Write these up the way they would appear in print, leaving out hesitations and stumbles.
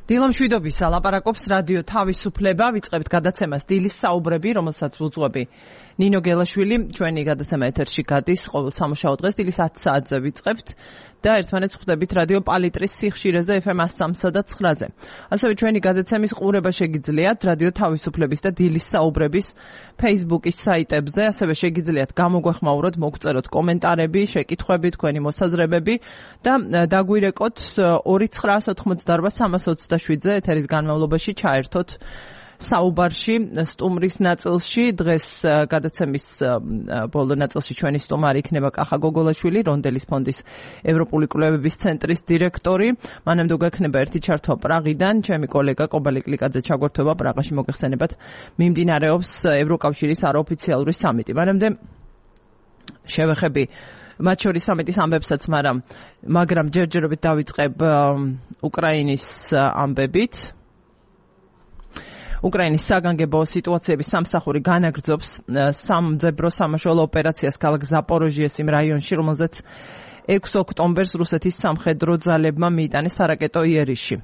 დილო მშვიდობისა, ლაპარაკობს რადიო თავისუფლება, ვიწყებთ გადაცემას დილის საუბრები, რომელსაც უძღვები ნინო გელაშვილი, ჩვენი გადაცემა ეთერში გადის ყოველ სამუშაო დღეს დილის 10 საათზე ვიწყებთ და ერთმანეთს ხვდებით რადიო პალიტრის სიხშირეზე FM 103 და 9-ზე. ასევე ჩვენი გადაცემის ყურება შეგიძლიათ რადიო თავისუფლების და დილის საუბრების Facebook-ის საიტებზე, ასევე შეგიძლიათ გამოგვეხმაუროთ, მოგწეროთ კომენტარები, შეკითხვები, თქვენი მოსაზრებები და დაგვირეკოთ 29988 ეთერის განმავლობაში ჩაერთოთ საუბარში, სტუმრის ნაწილში. დღეს გადაცემის ბოლო ნაწილში ჩვენი სტუმარი იქნება კახა გოგოლაშვილი, რონდელის ფონდის ევროპული კვლევების ცენტრის დირექტორი. მანამდე გვექნება ერთი ჩართვა პრაღიდან, ჩემი კოლეგა კობალი კლიკაძე ჩაგვერთვება პრაღაში, მოგეხსენებათ, მიმდინარეობს ევროკავშირის არაოფიციალური სამიტი. მანამდე შევეხები მათ შორის სამიტის ამბებსაც, მაგრამ ჯერჯერობით დავიწყებ უკრაინის ამბებით. უკრაინის საგანგებო სიტუაციების სამსახური განაგრძობს სამძებრო სამაშველო ოპერაციას ქალაქ ზაპოროჟიეს იმ რაიონში, რომელზეც 6 ოქტომბერს რუსეთის სამხედრო ძალებმა მიიტანეს არაკეტო იერიში.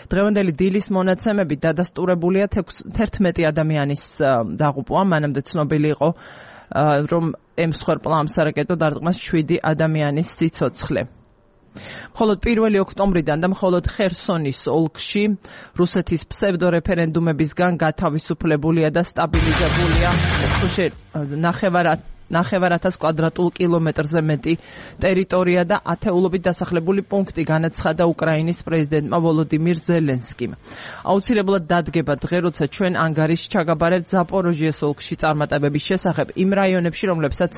დღევანდელი დილის მონაცემებით დადასტურებულია 11 ადამიანის დაღუპვა, მანამდე ცნობილი იყო, რომ M-სხერპლა ამ სარაკეტო დარტყმას 7 ადამიანის სიცოცხლე. მხოლოდ 1 ოქტომბრიდან და მხოლოდ ხერსონის ოლქში რუსეთის ფსევდორეფერენდუმებისგან გათავისუფლებულია და სტაბილიზებულია 9,000 კვადრატულ კილომეტრზე მეტი ტერიტორია და ათეულობით დასახლებული პუნქტი, განაცხადა უკრაინის პრეზიდენტმა ვოლოდიმირ ზელენსკიმ. აუცილებლად დადგება დღე, როცა ჩვენ ანგარიშს ჩაგაბარებთ ზაპოროჟიეს ოლქში წარმატებების შესახებ იმ რაიონებში, რომლებსაც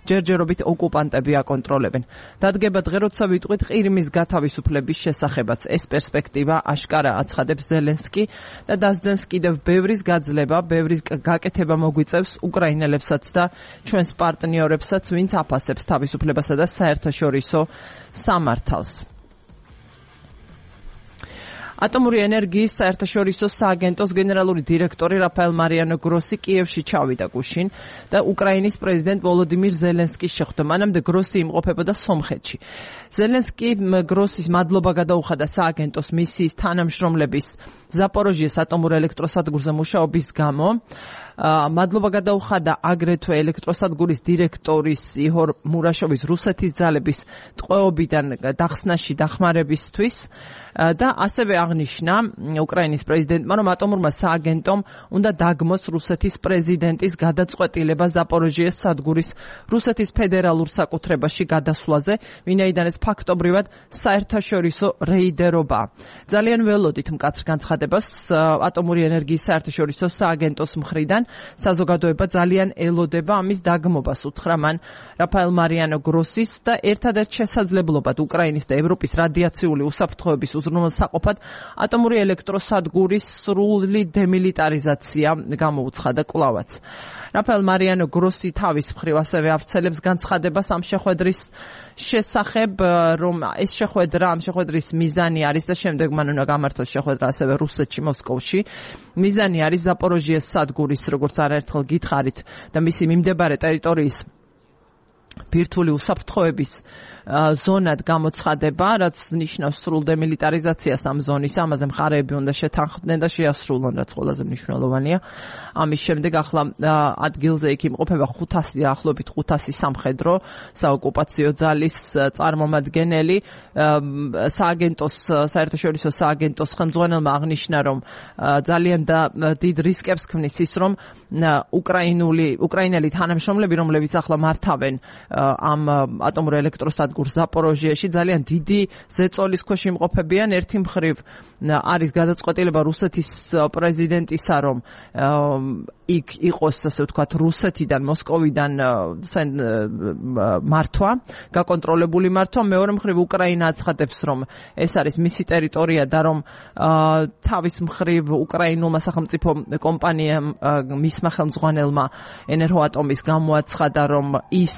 ჯერჯერობით ოკუპანტები აკონტროლებენ. დადგება დღე, როცა ვიტყვით ყირიმის გათავისუფლების შესახებაც. ეს პერსპექტივა აშკარა აცხადებს ზელენსკი და დასძენს კიდევ ბევრის გაძლება, ბევრის გაკეთება მოგვიწევს უკრაინელებსაც და ჩვენს პარტნიორებსაც, ვინც აფასებს თავისუფლებასა და საერთაშორისო სამართალს. ატომური ენერგიის საერთაშორისო სააგენტოს გენერალური დირექტორი რაფაელ მარიანო გროსი კიევში ჩავიდა გუშინ და უკრაინის პრეზიდენტ ვოლოდიმირ ზელენსკის შეხვდა. მანამდე გროსი იმყოფებოდა სომხეთში. ზელენსკი გროსის მადლობა გადაუხადა სააგენტოს მისიის თანამშრომლების ზაპოროჟიეს ატომურ ელექტროსადგურზე მუშაობის გამო. მადლობა გადაუხადა აგრეთვე ელექტროსადგურის დირექტორის იჰორ მურაშოვის რუსეთის ძალების ტყვეობიდან დახსნაში დახმარებისთვის და ასევე აღნიშნა უკრაინის პრეზიდენტმა, რომ ატომურმა სააგენტომ უნდა დაგმოს რუსეთის პრეზიდენტის გადაწყვეტილება ზაპოროჟიეს სადგურის რუსეთის ფედერალურ საკუთრებაში გადასვლაზე, ვინაიდან ეს ფაქტობრივად საერთაშორისო რეიდერობა. ძალიან ველოდით მკაცრ განცხადებას ატომური ენერგიის საერთაშორისო სააგენტოს მხრიდან საზოგადოება ძალიან ელოდება ამის დაგმობას, უთხრა მან რაფაელ მარიანო გროსის და ერთადერთ შესაძლებლობად უკრაინის და ევროპის რადიაციული უსაფრთხოების უზრუნველსაყოფად ატომური ელექტროსადგურის სრული დემილიტარიზაცია გამოუცხადა კვლავაც. რაფაელ მარიანო გროსი თავის მხრივ ასევე ავრცელებს განცხადებას ამ შეხვედრის შესახებ, რომ ეს შეხვედრა, ამ შეხვედრის მიზანი არის და შემდეგ მან უნდა გამართოს შეხვედრა ასევე რუსეთში, მოსკოვში. მიზანი არის ზაპოროჟიეს სადგურის, როგორც არაერთხელ გითხარით, და მისი მიმდებარე ტერიტორიის ბირთვული უსაფრთხოების ზონად გამოცხადება, რაც ნიშნავს სრულ დემილიტარიზაციას ამ ზონის. ამაზე მხარეები უნდა შეთანხმდნენ და შეასრულონ, რაც ყველაზე მნიშვნელოვანია. ამის შემდეგ ახლა ადგილზე იქ იმყოფება 500 დაახლოებით 500 სამხედრო საოკუპაციო ძალის წარმომადგენელი. სააგენტოს, საერთაშორისო სააგენტოს ხელმძღვანელმა აღნიშნა, რომ ძალიან დიდ რისკებს ქმნის ის, რომ უკრაინელი თანამშრომლები, რომლებიც ახლა მართავენ ამ ატომურ ელექტროსადგურს ზაპოროჟიაში, ძალიან დიდი ზეწოლის ქვეშ იმყოფებიან. ერთი მხრივ არის გადაწყვეტილება რუსეთის პრეზიდენტისა, რომ იქ იყოს, ასე ვთქვათ, რუსეთიდან, მოსკოვიდან მართვა, გაკონტროლებული მართვა. მეორე მხრივ უკრაინა აცხადებს, რომ ეს არის მისი ტერიტორია და რომ თავის მხრივ უკრაინულმა სახელმწიფო კომპანიამ, მისმა ხელმძღვანელმა ენერგოატომის გამოაცხადა, რომ ის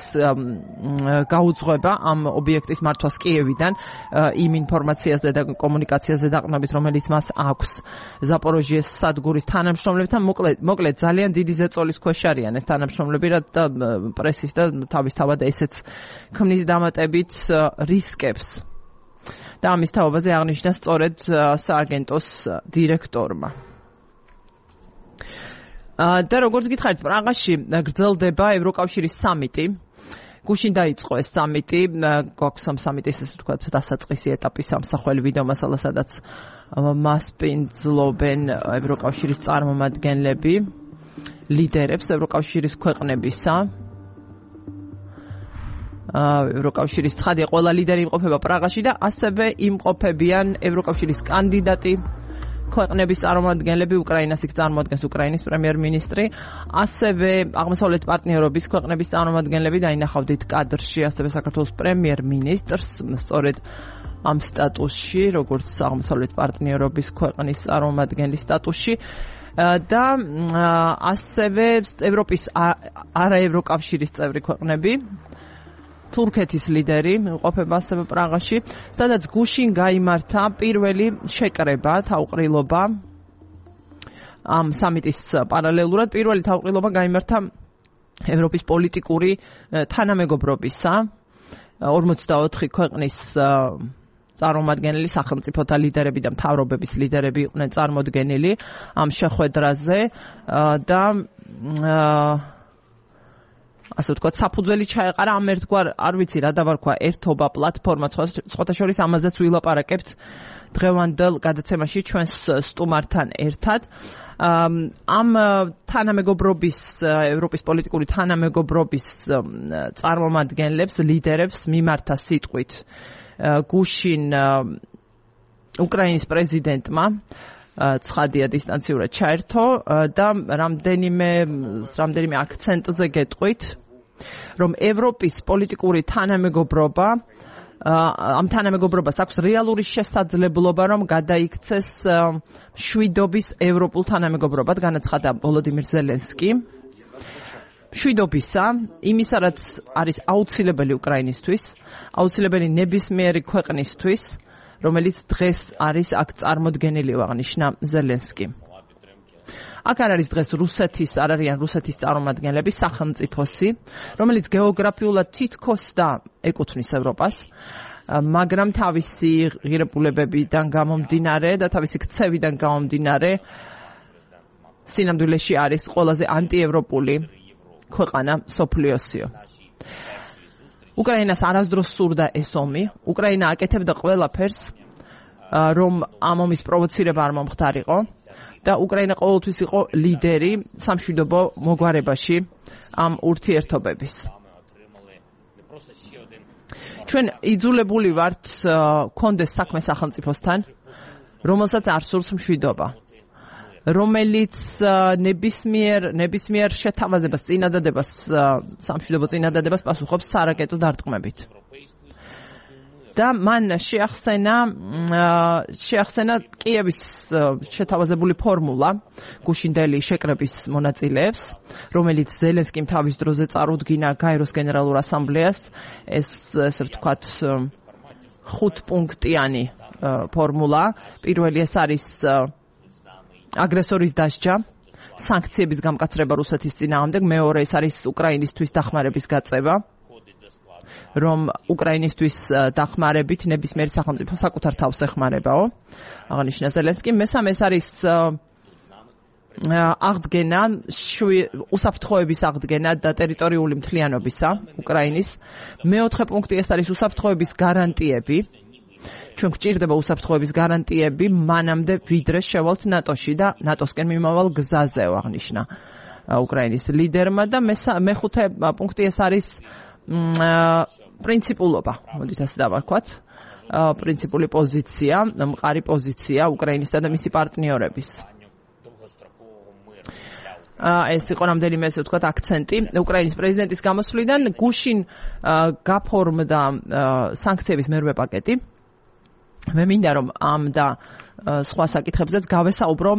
გაუძღვება ამ ობიექტის მართვას კიევიდან იმ ინფორმაციაზე და კომუნიკაციაზე დაყრდნობით, რომელიც მას აქვს ზაპოროჟიეს სადგურის თანამშრომლებთან. მოკლედ ძალიან დიდი ზეწოლის ქვეშ არიან ეს თანამშრომლები და პრესის და თავისთავად ესეც ქმნის დამატებით რისკებს. და ამის თაობაზე აღნიშნა სწორედ სააგენტოს დირექტორმა. და როგორც გითხარით, პრაღაში გრძელდება ევროკავშირის სამიტი. გუშინ დაიწყო ეს სამიტი, გვაქვს ამ სამიტის ესე ვთქვათ დასაწყისი ეტაპის სამსახველი ვიდეო მასალა, სადაც მასპინძლობენ ევროკავშირის წარმომადგენლები, ლიდერებს ევროკავშირის ქვეყნებისა. ევროკავშირის ცხადია, ყველა ლიდერი იმყოფება პრაღაში და ასევე იმყოფებიან ევროკავშირის კანდიდატი ქვეყნების წარმომადგენლები, უკრაინას იქ წარმოადგენს უკრაინის პრემიერ-მინისტრი, ასევე აღმოსავლეთ პარტნიორობის ქვეყნების წარმომადგენლები დაინახავდით კადრში, ასევე საქართველოს პრემიერ-მინისტრს, სწორედ ამ სტატუსში, როგორც აღმოსავლეთ პარტნიორობის ქვეყნის წარმომადგენლის სტატუსში და ასევე ევროპის არაევროკავშირის წევრი ქვეყნები, თურქეთის ლიდერი იმყოფება ასევე პრაღაში, სადაც გუშინ გაიმართა პირველი შეკრება, თავყრილობა ამ სამიტის პარალელურად პირველი თავყრილობა გაიმართა ევროპის პოლიტიკური თანამეგობრობისა 44 ქვეყნის წარმომადგენელი, სახელმწიფოთა ლიდერები და მთავრობების ლიდერები იყვნენ წარმოდგენილი ამ შეხვედრაზე და ასე ვთქვათ, საფუძველი ჩაეყარა ამ ერთგვარ, არ ვიცი რა დავარქვა, ერთობა პლატფორმა, სხვათა შორის ამაზეც ვილაპარაკებთ დღევანდელ გადაცემაში ჩვენს სტუმართან ერთად. ამ თანამეგობრობის, ევროპის პოლიტიკური თანამეგობრობის წარმომადგენლებს, ლიდერებს მიმართა სიტყვით გუშინ უკრაინის პრეზიდენტმა ცხადია დისტანციურად ჩაერთო და რამდენიმე აქცენტზე გეტყვით, რომ ევროპის პოლიტიკური თანამეგობრობა ამ თანამეგობრობას აქვს რეალური შესაძლებლობა, რომ გადაიქცეს მშვიდობის ევროპულ თანამეგობრობად, განაცხადა ვოლოდიმირ ზელენსკი. მშვიდობისა, იმისა, რაც არის აუცილებელი უკრაინისთვის, აუცილებელი ნებისმიერი ქვეყნისთვის, რომელიც დღეს არის აქ წარმოდგენილი, აღნიშნა ზელენსკი. აქ არ არის დღეს რუსეთის, არ არიან რუსეთის წარმომადგენლები, სახელმწიფოსი, რომელიც გეოგრაფიულად თითქოს და ეკუთვნის ევროპას, მაგრამ თავისი ღირებულებებიდან გამომდინარე და თავისი ქცევიდან გამომდინარე სინამდვილეში არის ყველაზე ანტიევროპული ქვეყანა მსოფლიოსიო. უკრაინას არასდროს სურდა ეს ომი, უკრაინა აკეთებდა ყველაფერს, რომ ამ ომის პროვოცირება არ მომხდარიყო და უკრაინა ყოველთვის იყო ლიდერი სამშვიდობო მოგვარებაში ამ ურთიერთობების. ჩვენ იძულებული ვართ გქონდეს საქმე სახელმწიფოსთან, რომელსაც არ სურს მშვიდობა, რომელიც ნებისმიერ შეთავაზებას, წინადადებას, სამშვიდობო წინადადებას პასუხობს სარაკეტო დარტყმებით. და მან შეახსენა კიევის შეთავაზებული ფორმულა გუშინდელი შეკრების მონაწილეებს, რომელიც ზელენსკიმ თავის დროზე წარუდგინა გაეროს გენერალურ ასამბლეას, ესე ვთქვათ 5 პუნქტიანი ფორმულა. პირველი ეს არის აგრესორის დასჯა, სანქციების გამკაცრება რუსეთის წინააღმდეგ, მეორე ეს არის უკრაინისთვის დახმარების გაწევა, რომ უკრაინისთვის დახმარებით ნებისმიერი სახელმწიფო საკუთარ თავს ეხმარებაო, აღნიშნა ზელენსკი. მესამე ეს არის აღდგენა, უსაფრთხოების აღდგენა და ტერიტორიული მთლიანობისა უკრაინის. მეოთხე პუნქტი ეს არის უსაფრთხოების გარანტიები. ჩვენ გვჭირდება უსაფრთხოების გარანტიები მანამდე ვიდრე შევალთ ნატოში და ნატოსკენ მიმავალ გზაზე, აღნიშნა უკრაინის ლიდერმა და მეხუთე პუნქტი ეს არის პრინციპულობა, მოდით ასე დავარქვათ, პრინციპული პოზიცია, მყარი პოზიცია უკრაინისა და მისი პარტნიორების. ეს იყო რამდენიმე ესე ვთქვათ აქცენტი უკრაინის პრეზიდენტის გამოსვლიდან. გუშინ გაფორმდა სანქციების მერვე პაკეტი. მე მინდა რომ ამ და სხვა საკითხებზეც გავესაუბრო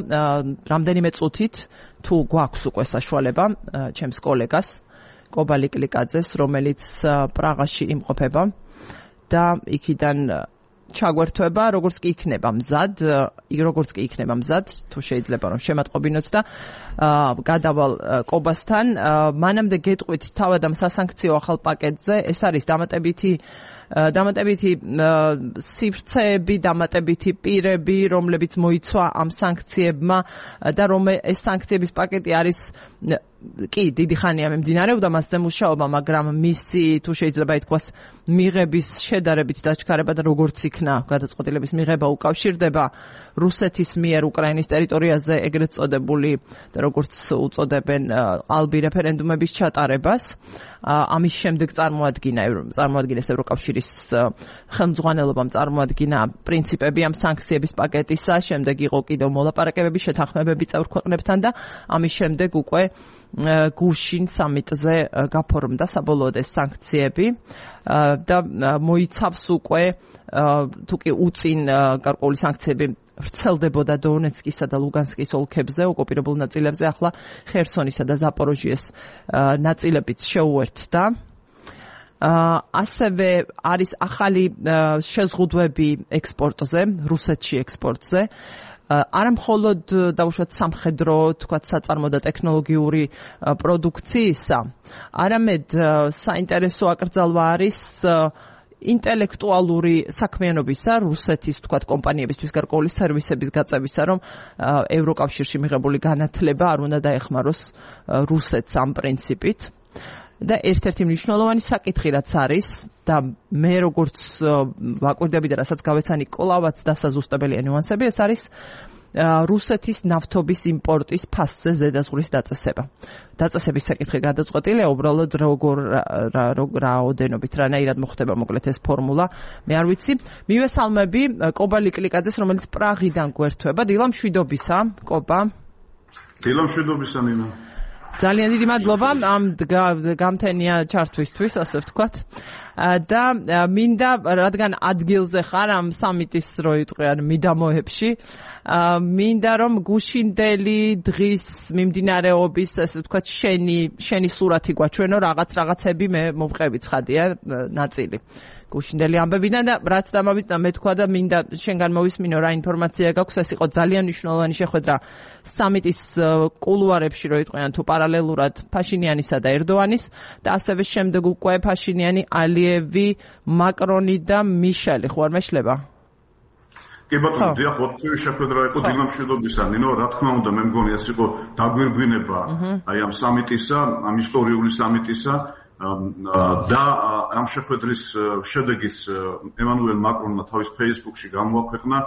რამდენიმე წუთით, თუ გვაქვს უკვე საშუალება, ჩემს კოლეგას კობალი კლიკაძეს, რომელიც პრაღაში იმყოფება და იქიდან ჩაგვერთვება, როგორც კი იქნება მზად, თუ შეიძლება რომ შემატყობინოთ და გადავალ კობასთან. მანამდე გეტყვით თავად ამ სასანქციო ახალ პაკეტზე, ეს არის დამატებითი დამატებითი სივრცეები, დამატებითი პირები, რომლებიც მოიცვა ამ სანქციებმა და ეს სანქციების პაკეტი არის კი დიდი ხანია მიმდინარეობდა მასზე მუშაობა, მაგრამ მისი თუ შეიძლება ითქვას მიღების შედარებით დაჩქარება და როგორც იქნა გადაწყვეტილების მიღება უკავშირდება რუსეთის მიერ უკრაინის ტერიტორიაზე ეგრეთ წოდებული და როგორც უწოდებენ ალბი რეფერენდუმების ჩატარებას. ამის შემდეგ წარმოადგინეს ევროკავშირის ხელმძღვანელობამ წარმოადგინა პრინციპები ამ სანქციების პაკეტისა, შემდეგ იყო კიდევ მოლაპარაკებები, შეთანხმებები წევრ ქვეყნებთან და ამის შემდეგ უკვე გუშინ სამიტზე გაფორმდა საბოლოოდ ეს სანქციები და მოიცავს უკვე თუ კი უწინ გარკვეული სანქციები ვრცელდებოდა დონეცკისა და ლუგანსკის ოლქებზე, ოკუპირებულ ნაწილებზე, ახლა ხერსონისა და ზაპოროჟიეს ნაწილებიც შეუერთდა. ასევე არის ახალი შეზღუდვები ექსპორტზე, რუსეთში ექსპორტზე. არა მხოლოდ დაუშვათ სამხედრო, თქვათ საწარმო და ტექნოლოგიური პროდუქციისა, არამედ საინტერესო აკრძალვა არის ინტელექტუალური საქმიანობისა რუსეთის თქვათ კომპანიებისთვის გარკვეული სერვისების გაწევისა, რომ ევროკავშირში მიღებული განათლება არ უნდა დაეხმაროს რუსეთს ამ პრინციპით. და ერთ-ერთი მნიშვნელოვანი საკითხი რაც არის და მე როგორც ვაკვირდები და რასაც გავეცანი კვლავაც დასაზუსტებელია ნიუანსები, ეს არის რუსეთის ნავთობის იმპორტის ფასზე ზედაზღვრის დაწესება. დაწესების საკითხი გადაწყვეტილია უბრალოდ რაოდენობით, რანაირად მოხდება მოკლედ ეს ფორმულა, მე არ ვიცი. მივესალმები კობა ლიკლიკაძეს, რომელიც პრაღიდან გვერდება. დილა მშვიდობისა, კობა. დილა მშვიდობისა, ნინა. ძალიან დიდი მადლობა ამ გამთენია ჩართვისთვის, ასე ვთქვათ. და მინდა, რადგან ადგილზე ხარ ამ სამიტის რო იტყვიან მიდამოებში, მინდა რომ გუშინდელი დღის მიმდინარეობის, ასე ვთქვათ, შენი სურათი გვაჩვენო, რაღაცები მე მომყევი ცხადია ნაწილი. გუშინდელი ამბებიდან და რაც დამავიწყდა მე თქვა და მინდა შენგან მოვისმინო რა ინფორმაცია გაქვს, ეს იყო ძალიან მნიშვნელოვანი შეხვედრა სამიტის კულუარებში, რო იტყვიან თუ პარალელურად ფაშინიანისა და ერდოანის და ასევე შემდეგ უკვე ფაშინიანი, ალიევი, მაკრონი და მიშელი, ხო არ მეშლება? კი ბატონო, დიახ, ოთხივე შეხვედრა იყო დილა მშვიდობისა, ნინო, რა თქმა უნდა, მე მგონი ეს იყო დაგვირგვინება აი ამ სამიტისა, ამ ისტორიული სამიტისა. და ამ შეხვედრის შედეგის ემანუელ მაკრონმა თავის Facebook-ში გამოაქვეყნა.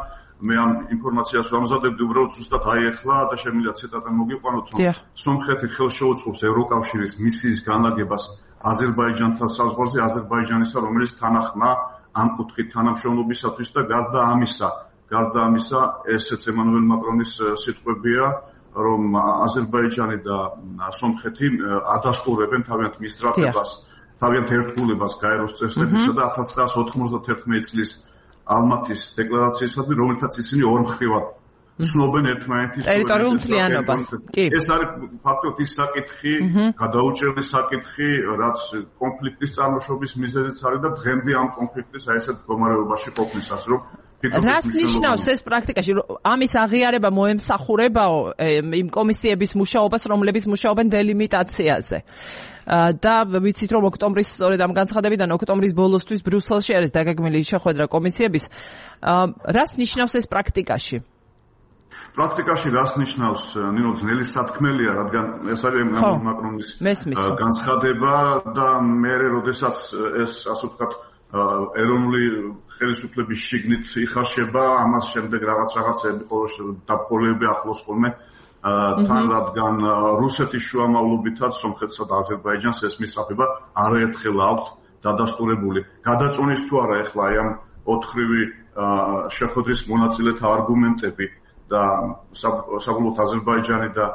მე ამ ინფორმაციას ვამზადებდი უბრალოდ ზუსტად ახლა და შემიძლია ციტატა მოგიყვანოთ, რომ სომხეთი ხელს შეუწყობს ევროკავშირის მისიის განლაგებას აზერბაიჯანთან საზღვარზე, აზერბაიჯანისა, რომელიც თანახმა ამ კუთხით თანამშრომლობისათვის და გარდა ამისა, ესეც ემანუელ მაკრონის სიტყვებია, რომ აზერბაიჯანი და სომხეთი ადასტურებენ თავიანთ მისწრაფებას, თავიანთ ერთგულებას გაეროს წესდებისა და 1991 წლის ალმათის დეკლარაციისადმი, რომელთაც ისინი ორმხრივად ცნობენ ერთმანეთის ტერიტორიულ მთლიანობას. ეს არის ფაქტობრივად ის საკითხი, გადაუჭრელი საკითხი, რაც კონფლიქტის წარმოშობის მიზეზიც არის და დღემდე ამ კონფლიქტის აი ესეთ მდგომარეობაში ყოფნისას, რომ რას ნიშნავს ეს პრაქტიკაში? ამის აღიარება მოემსახურებაო იმ კომისიების მუშაობას, რომლებიც მუშაობენ დელიმიტაციაზე. და ვიცით რომ ოქტომბრის სწორედ ამ განცხადებიდან ოქტომბრის ბოლოსთვის ბრიუსელში არის დაგეგმილი შეხვედრა კომისიების. რას ნიშნავს ეს პრაქტიკაში? პრაქტიკაში რას ნიშნავს? ნინო, ძნელი სათქმელია, რადგან ეს არის მაკრონის განცხადება და მე როდესაც ეს ასე ვთქვათ ეროვნული ხელისუფლების შიგნით იხარშება, ამას შემდეგ რაღაცები დაბოლოები ახლოს ხოლმე თან, რადგან რუსეთის შუამავლობითაც სომხეთსა და აზერბაიჯანს ეს მისწრაფება არაერთხელ აქვთ დადასტურებული. გადაწყვეტის თუ არა ახლა აი ამ ოთხრივი შეხვედრის მონაწილეთა არგუმენტები და საბოლოოდ აზერბაიჯანი და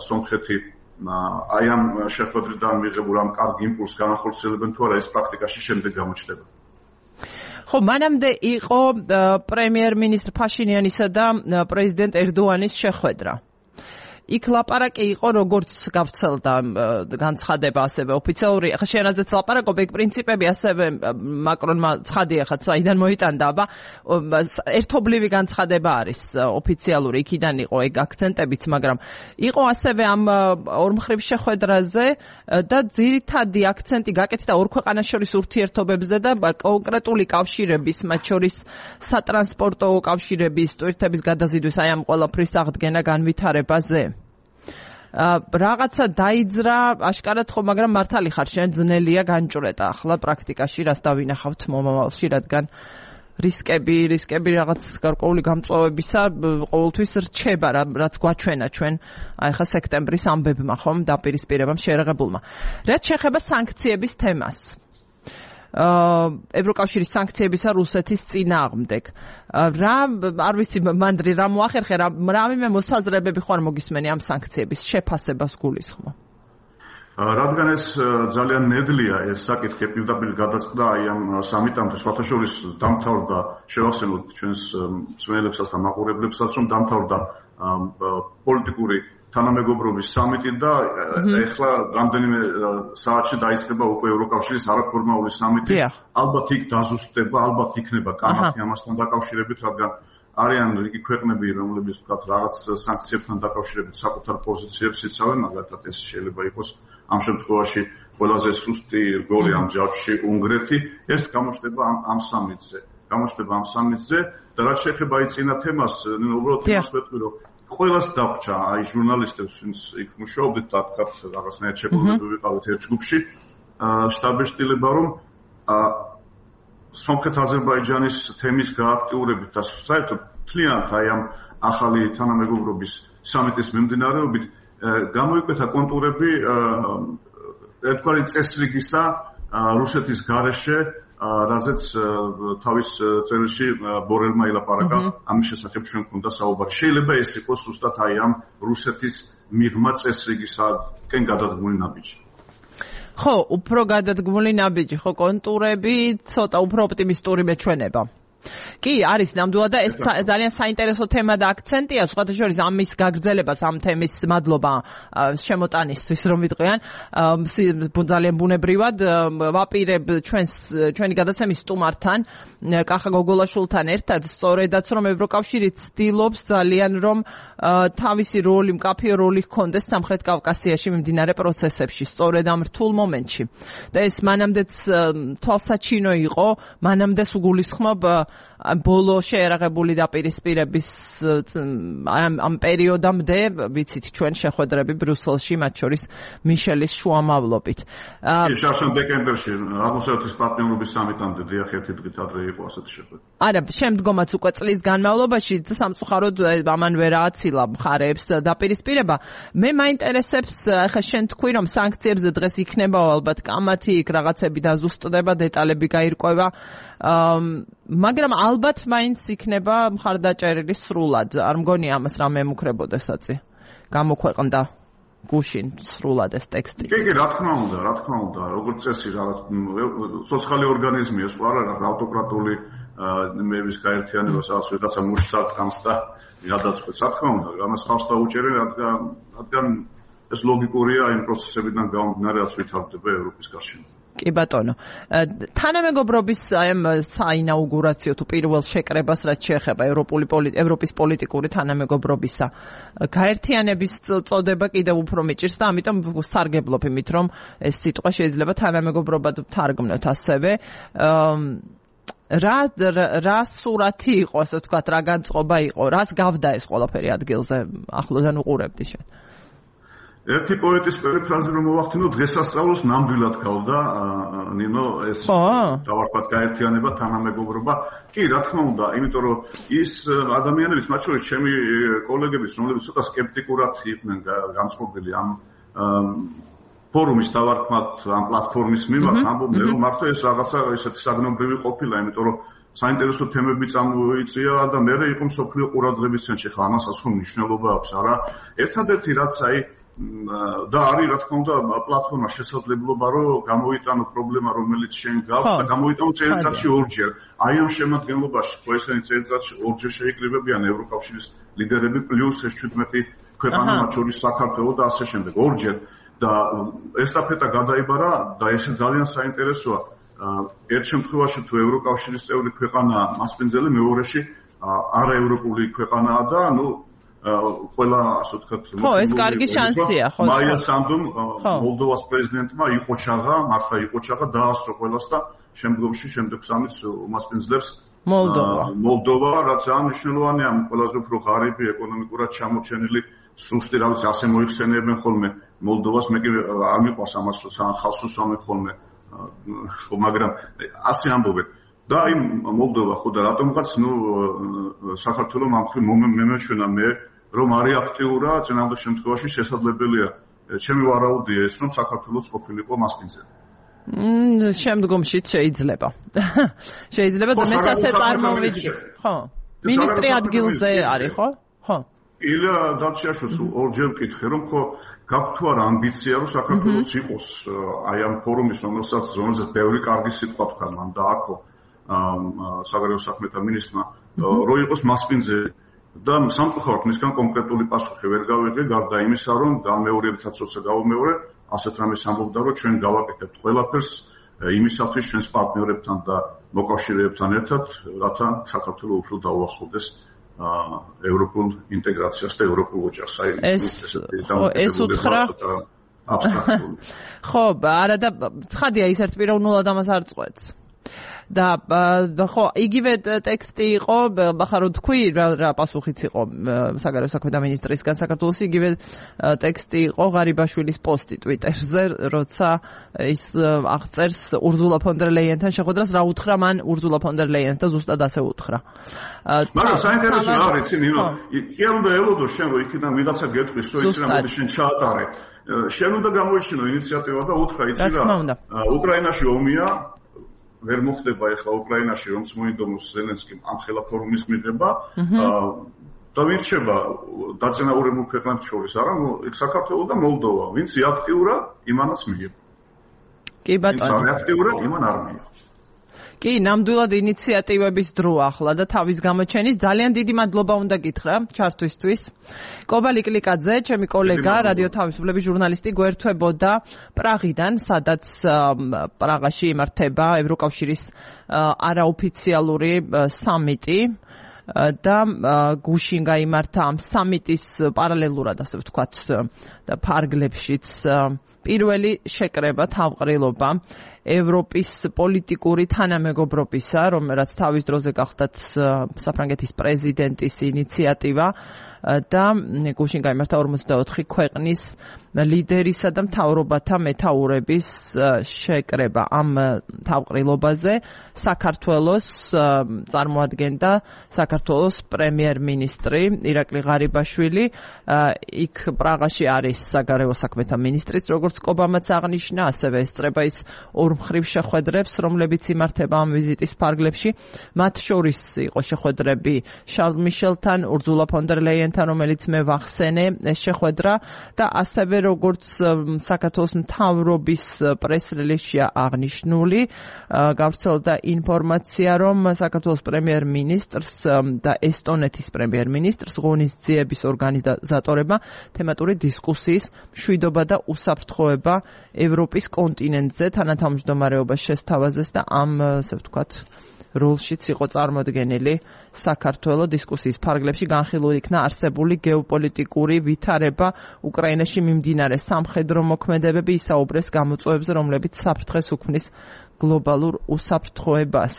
სომხეთი აი ამ შეხვედრიდან მიღებულ ამ კარგ იმპულსს განახორციელებენ თუ არა, ეს პრაქტიკაში შემდეგ გამოჩნდება. ხო, მანამდე იყო პრემიერ-მინისტრ ფაშინიანისა და პრეზიდენტ ერდოანის შეხვედრა. იქ ლაპარაკი იყო როგორც გავრცელდა განცხადება ასევე ოფიციალური ახლა შენაზეც ლაპარაკობ ეგ პრინციპები ასევე მაკრონმა ცხადია ხა საიდან მოიტანდა აბა ერთობლივი განცხადება არის ოფიციალური იქიდან იყო ეგ აქცენტებიც მაგრამ იყო ასევე ამ ორმხრივ შეხვედრაზე და ძირითადი აქცენტი გაკეთდა ორ ქვეყანას შორის ურთიერთობებზე და კონკრეტული კავშირების მათ შორის სატრანსპორტო კავშირების ტვირთების გადაზიდვის აი ამ ყველაფრის აღდგენა განვითარებაზე რაღაცა დაიძრა აშკარად ხო მაგრამ მართალი ხარ შენ ძნელია განჭრეტა ახლა პრაქტიკაში რას დავინახავთ მომავალში რადგან რისკები რაღაც გარკვეული გამწვავებისა ყოველთვის რჩება რაც გვაჩვენა ჩვენ აი ხა სექტემბრის ამბებმა ხომ დაპირისპირებამ შეერაღებულმა რაც შეეხება სანქციების თემას ევროკავშირის სანქციებისა რუსეთის წინააღმდეგ რა არ ვიცი მანდრი რა მოახერხე რამე მოსაზრებები ხო არ მოგისმენი ამ სანქციების შეფასებას გულისხმო რადგან ეს ძალიან ნედლია ეს საკითხი პირდაპირ გადაწყდა აი ამ სამიტამდე სხვათაშორის დამთავრდა შევახსენოთ ჩვენს მსმენელებსაც და მაყურებლებსაც რომ დამთავრდა პოლიტიკური თანამეგობრობის სამიტი და ეხლა რამდენიმე საათში დაიწყება უკვე ევროკავშირის არაფორმალური სამიტი ალბათ იქ დაზუსტდება ალბათ იქნება კამათი ამასთან დაკავშირებით რადგან არიან რიგი ქვეყნები რომლებიც თქვათ რაღაც სანქციებთან დაკავშირებით საკუთარ პოზიციებს იცავენ მაგალითად ეს შეიძლება იყოს ამ შემთხვევაში ყველაზე სუსტი რგოლი ამ ჯაჭვში უნგრეთი ეს გამოჩნდება ამ სამიტზე და რაც შეეხება აი წინა თემას უბრალოდ იმას ვეთქვი რომ ყველას დაგვჭა აი ჟურნალისტებს ვინც იქ მუშაობდით და თქვათ რაღაცნაირად შეფასებები ვიყავით ერთ ჯგუფში შტაბ-ეშტილება რომ სომხეთ-აზერბაიჯანის თემის გააქტიურებით და საერთოდ მთლიანად აი ამ ახალი თანამეგობრობის სამიტის მიმდინარეობით გამოიკვეთა კონტურები ერთგვარი წესრიგისა რუსეთის გარეშე რაზეც თავის წერილში ბორელმა ილაპარაკა ამის შესახებ ჩვენ გვქონდა საუბარი შეიძლება ეს იყოს ზუსტად აი ამ რუსეთის მიღმა წესრიგისაკენ გადადგმული ნაბიჯი ხო უფრო გადადგმული ნაბიჯი ხო კონტურები ცოტა უფრო ოპტიმისტური მეჩვენება კი არის ნამდვილად და ეს ძალიან საინტერესო თემა და აქცენტია სხვათა შორის ამის გაგრძელებას ამ თემის მადლობა შემოტანისთვის რომ ვიტყვიან ძალიან ბუნებრივად ვაპირებ ჩვენი გადაცემის სტუმართან კახა გოგოლაშვილთან ერთად სწორედაც რომ ევროკავშირი ცდილობს ძალიან რომ თავისი როლი მკაფიო როლი ჰქონდეს სამხრეთ კავკასიაში მიმდინარე პროცესებში სწორედ ამ რთულ მომენტში და ეს მანამდეც თვალსაჩინო იყო მანამდე სუგულისხმობ ბოლო შეერაღებული დაპირისპირების ამ პერიოდამდე ვიცით ჩვენ შეხვედრები ბრიუსელში მათ შორის მიშელის შუამავლობით. შარშან დეკემბერში აღმოსავლეთის პარტნიორობის სამიტამდე დიახ ერთი დღით ადრე იყო ასეთი შეხვედრა. არა, შემდგომაც უკვე წლის განმავლობაში სამწუხაროდ ამან ვერ ააცილა მხარეებს დაპირისპირება. მე მაინტერესებს ახლა შენ თქვი რომ სანქციებზე დღეს იქნება ალბათ კამათი, იქ რაღაცები დაზუსტდება, დეტალები გაირკვევა. მაგრამ ალბათ მაინც იქნება მხარდაჭერილი სრულად. არ მგონია ამას რამე ემუქრებოდესაცი. გამოქვეყნდა გუშინ სრულად ეს ტექსტი. კი, რა თქმა უნდა, როგორც წესი რაღაც სოციალური ორგანიზმია, სხვა რა ავტოკრატული მეების გაერთიანება სადაც ვიღაცა მუშაობს თამს და გადაწყვეტს. რა თქმა უნდა, ამას ხავს დაუჭერენ, რადგან ეს ლოგიკურია იმ პროცესებიდან გამომდინარე, რაც ვითარდება ევროპის გარშემო. კი ბატონო. თანამეგობრობის ამ საინაუგურაციო თუ პირველ შეკრებას რაც შეეხება ევროპის პოლიტიკური თანამეგობრობისა გაერთიანების წოდება კიდევ უფრო მიჭირს და ამიტომ სარგებლობ იმით რომ ეს სიტყვა შეიძლება თანამეგობრობად თარგმნოთ ასევე რა სურათი იყო ასე ვთქვათ რა განწყობა იყო რას გავდა ეს ყველაფერი ადგილზე ახლოდან უყურებდი შენ ერთი პოეტის პერიფრაზი რომ მოვახდინო დღესასწაულს ნამდვილად გავდა ნინო ეს დავარქვათ გაერთიანება თანამეგობრობა კი რა თქმა უნდა იმიტომ რომ ის ადამიანებიც მათ შორის ჩემი კოლეგებიც რომლებიც ცოტა სკეპტიკურად იყვნენ განწყობილი ამ ფორუმის დავარქვათ ამ პლატფორმის მიმართ ამბობდნენ რომ მართლა ეს რაღაცა ესეთი საგნობრივი ყოფილა იმიტომ რომ საინტერესო თემები წამოიწია და მე იყო მსოფლიო ყურადღების ცენტრში ხა ამასაც ხო მნიშვნელობა აქვს არა ერთადერთი რაც აი და არის რა თქმა უნდა პლატფორმა შესაძლებლობა რომ გამოიტანო პრობლემა რომელიც შენ გაქვს და გამოიტანო წელიწადში ორჯერ აი ამ შემადგენლობაში ხო ესენი წელიწადში ორჯერ შეიკრიბებიან ევროკავშირის ლიდერები პლუს ეს 17 ქვეყანა, მათ შორის საქართველო და ასე შემდეგ. ორჯერ და ესტაფეტა გადაიბარა და ეს ძალიან საინტერესოა. ერთ შემთხვევაში თუ ევროკავშირის წევრი ქვეყანაა მასპინძელი, მეორეში არაევროპული ქვეყანაა და ყველა ასე ვთქვათ, ეს კარგი შანსია, ხო. მაია სანდუმ მოლდოვას პრეზიდენტმა მართლა იყოჩაღა დაასწრო ყველას და შემდეგ სამის უმასპინძლებს მოლდოვა, რაც ძალიან მნიშვნელოვანია, ყველაზე უფრო ღარიბი, ეკონომიკურად ჩამოჩენილი, სუსტი, რა ვიცი, ასე მოიხსენიებენ ხოლმე მოლდოვას, მე კი არ მიყვარს ამას ხალხს უსვამენ ხოლმე, ხო, მაგრამ ასე ამბობენ. და აი მოლდოვა ხო და რატომღაც საქართველოს ამ მხრივ მომეჩვენა მე რომ არის აქტიურა, წინააღმდეგ შემთხვევაში შესაძლებელია. ჩემი ვარაუდია ეს, რომ საქართველოს ყოფილიყო მასპინძელი. შემდგომშიც შეიძლება. შეიძლება და მეც ასე წარმოვიდგინე. ხო. მინისტრი ადგილზე არის, ხო? ხო. ილა დარჩიაშვილს ორჯერ ვკითხე, რომ ხო გაქვთ თუ არა ამბიცია, რომ საქართველოს იყოს აი ამ ფორუმის, რომელსაც ბევრი კარგი სიტყვა თქვა მან და აქო საგარეო საქმეთა მინისტრმა, რომ იყოს მასპინძელი. და სამწუხაროდ მისგან კონკრეტული პასუხი ვერ გავიღე, გარდა იმისა, რომ გამეორებითაც როცა გავუმეორე, ასეთ რამეს ამბობდა, რომ ჩვენ გავაკეთებთ ყველაფერს იმისათვის ჩვენს პარტნიორებთან და მოკავშირეებთან ერთად, რათა საქართველოს უფრო დაუახლოვდეს ევროპულ ინტეგრაციას და ევროპულ ოჯახს. ეს უთხრა აბსტრაქტული. ხო, არა და ცხადია ის ერთპიროვნულად ამას არ წყვეტს. და ხო, იგივე ტექსტი იყო, ახლა რო თქვი რა პასუხიც იყო საგარეო საქმეთა მინისტრისგან საქართველოს, იგივე ტექსტი იყო ღარიბაშვილის პოსტი ტვიტერზე, როცა ის აღწერს ურზულა ფონ დერ ლეიენთან შეხვედრას, რა უთხრა მან ურზულა ფონ დერ ლეიენს და ზუსტად ასე უთხრა. მაგრამ საინტერესო არის, ნინო, კი არ უნდა ელოდო შენ რომ იქიდან ვიღაცა გეტყვის, რომ ის რა მოდი შენ ჩაატარე. შენ უნდა გამოიჩინო ინიციატივა და უთხრა, იცი რა, უკრაინაში ომია, ვერ მოხდება ახლა უკრაინაში რომც მოინდომოს ზელენსკიმ ამ ხელა ფორუმის მიღება და ვირჩება დაწინაურებულ ქვეყნებს შორის არა საქართველო და მოლდოვა ვინც აქტიურა იმანაც მიიღო კი ბატონო ვინც აქტიურა იმან არ მიიღო კი, ნამდვილად ინიციატივების დრო ახლა და თავის გამოჩენის ძალიან დიდი მადლობა უნდა გითხრა ჩართვისთვის. კობა ლიკლიკაძე, ჩემი კოლეგა, რადიო თავისუფლების ჟურნალისტი გვერდთვებოდა პრაღიდან, სადაც პრაღაში იმართება ევროკავშირის არაოფიციალური სამიტი და გუშინ გაიმართა ამ სამიტის პარალელურად, ასე ვთქვათ, და ფარგლებშიც პირველი შეკრება თავყრილობა ევროპის პოლიტიკური თანამეგობრობისა, რომელიც თავის დროზე გახდათ საფრანგეთის პრეზიდენტის ინიციატივა და გუშინ გაიმართა 54 ქვეყნის ლიდერისა და მთავრობათა მეთაურების შეკრება ამ თავყრილობაზე. საქართველოს წარმოადგენდა საქართველოს პრემიერ-მინისტრი ირაკლი ღარიბაშვილი. იქ პრაღაში არის საგარეო საქმეთა მინისტრიც, როგორც კობამაც აღნიშნა, ასევე ესწრება ის ორმხრივ შეხვედრებს, რომლებიც იმართება ამ ვიზიტის ფარგლებში. მათ შორის იყო შეხვედრები შარლ მიშელთან, ურზულა ფონ დერ ლეიენთან, რომელიც მე ვახსენე ეს შეხვედრა და ასევე როგორც საქართველოს მთავრობის პრეს-რელიზშია აღნიშნული, გავრცელდა ინფორმაცია, რომ საქართველოს პრემიერ-მინისტრს და ესტონეთის პრემიერ-მინისტრს ღონისძიების ორგანიზატორებმა თემატური დისკუსიის მშვიდობა და უსაფრთხოება ევროპის კონტინენტზე თანათავმჯდომარეობას შესთავაზეს და ამ, ასე ვთქვათ, როლშიც იყო წარმოდგენილი საქართველოს დისკუსიის ფარგლებში განხილული იქნა არსებული გეოპოლიტიკური ვითარება უკრაინაში მიმდინარე სამხედრო მოქმედებები ისაუბრეს გამოწვევებზე, რომლებიც საფრთხეს უქმნის გლობალურ უსაფრთხოებას.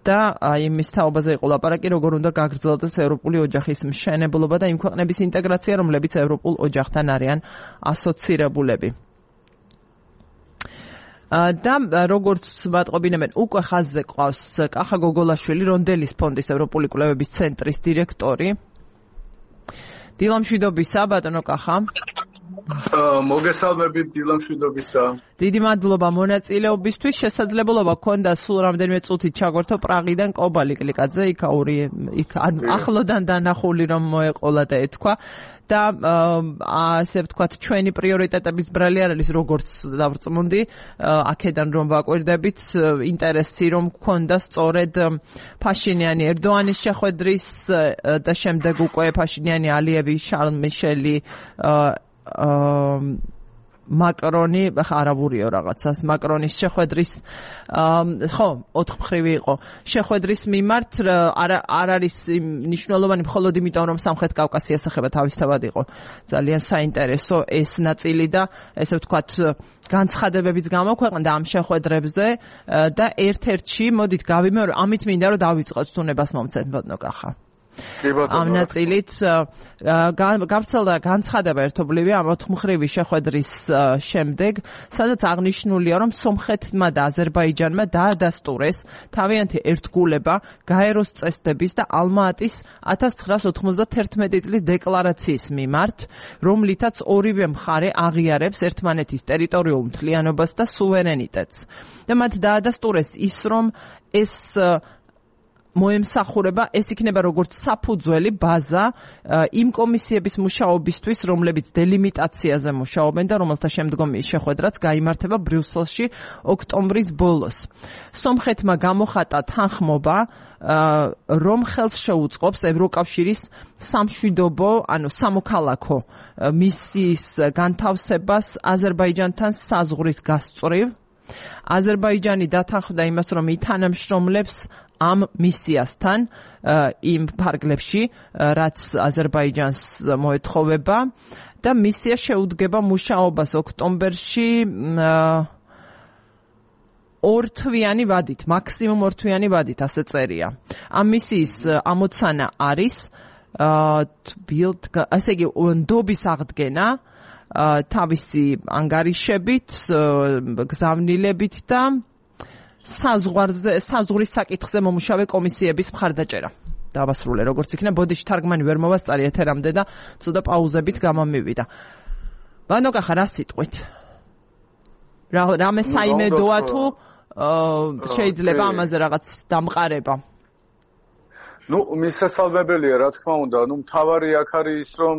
და იმის თაობაზე იყო ლაპარაკი, როგორ უნდა გაგრძელდეს ევროპული ოჯახის მშენებლობა და იმ ქვეყნების ინტეგრაცია, რომლებიც ევროპულ ოჯახთან არიან ასოცირებულები. და როგორც მატყობინებენ, უკვე ხაზზე ყავს კახა გოგოლაშვილი, რონდელის ფონდის ევროპული კვლევების ცენტრის დირექტორი. დილამშვიდობისა, ბატონო კახა. მოგესალმებით, დილამშვიდობისა. დიდი მადლობა მონაწილეობისთვის. შესაძლებლობა გქონდა სულ რამდენიმე წუთით ჩაგვერთო პრაღიდან კობა ლიკლიკაძე, იქ ახლოდან დანახული რომ მოეყოლა და ეთქვა. და ასე ვთქვათ, ჩვენი პრიორიტეტების ბრალი არ არის როგორც დავწმუნდი, აქედან რომ ვაკვირდებით, ინტერესი რომ გქონდა სწორედ ფაშინიანი ერდოანის შეხვედრის და შემდეგ უკვე ფაშინიანი ალიევი შარლ მიშელი მაკრონი არავურიო რაღაცას მაკრონის შეხვედრის ხო 4 მხრივი იყო შეხვედრის მიმართ არ არის მნიშვნელოვანი მხოლოდ იმიტომ რომ სამხრეთ კავკასიას ეხება თავისთავად იყო ძალიან საინტერესო ეს ნაწილი და ესე ვთქვათ განცხადებებიც გამოქვეყნდა ამ შეხვედრებზე და ერთ-ერთში მოდით გავიმეორო ამით მინდა რომ დავიწყოთ თუნებას მომცეთ ბოდნოკახა ამ ნაწილით გავრცელდა განცხადება ერთობლივი ამ 4 მხრივი შეხვედრის შემდეგ, სადაც აღნიშნულია, რომ სომხეთმა და აზერბაიჯანმა დაადასტურეს თავიანთი ერთგულება გაეროს წესდების და ალმა-ატის 1991 წლის დეკლარაციის მიმართ, რომლითაც ორივე მხარე აღიარებს ერთმანეთის ტერიტორიულ მთლიანობას და სუვერენიტეტს. და მათ დაადასტურეს ის, რომ ეს მოემსახურება ეს იქნება როგორც საფუძველი ბაზა იმ კომისიების მუშაობისთვის, რომლებიც დელიმიტაციაზე მუშაობენ და რომელთა შემდგომი შეხვედრაც გაიმართება ბრიუსელში ოქტომბრის ბოლოს. სომხეთმა გამოხატა თანხმობა, რომ ხელს შეუწყობს ევროკავშირის სამშვიდობო, ანუ სამოქალაქო მისიის განთავსებას აზერბაიჯანთან საზღვრის გასწვრივ. აზერბაიჯანი დათანხმდა იმას, რომ ითანამშრომლებს ამ მისიასთან იმ ფარგლებში, რაც აზერბაიჯანს მოეთხოვება და მისია შეუდგება მუშაობას ოქტომბერში 2 თვიანი ვადით, მაქსიმუმ 2 თვიანი ვადით, ასე წერია. ამ მისიის ამოცანა არის ასე იგი ნდობის აღდგენა თავისი ანგარიშებით, გზავნილებით და საზღვრის საკითხზე მომუშავე კომისიების მხარდაჭერა. დავასრულე როგორც იქნება, ბოდიში თარგმანი ვერ მოვასწარი ეთერამდე და ცოტა პაუზებით გამომივიდა. ბანოკახა რა სიტყვით? რამე საიმედოა თუ შეიძლება ამაზე რაღაც დამყარება? მისასალმებელია, რა თქმა უნდა, მთავარი აქ არის ის, რომ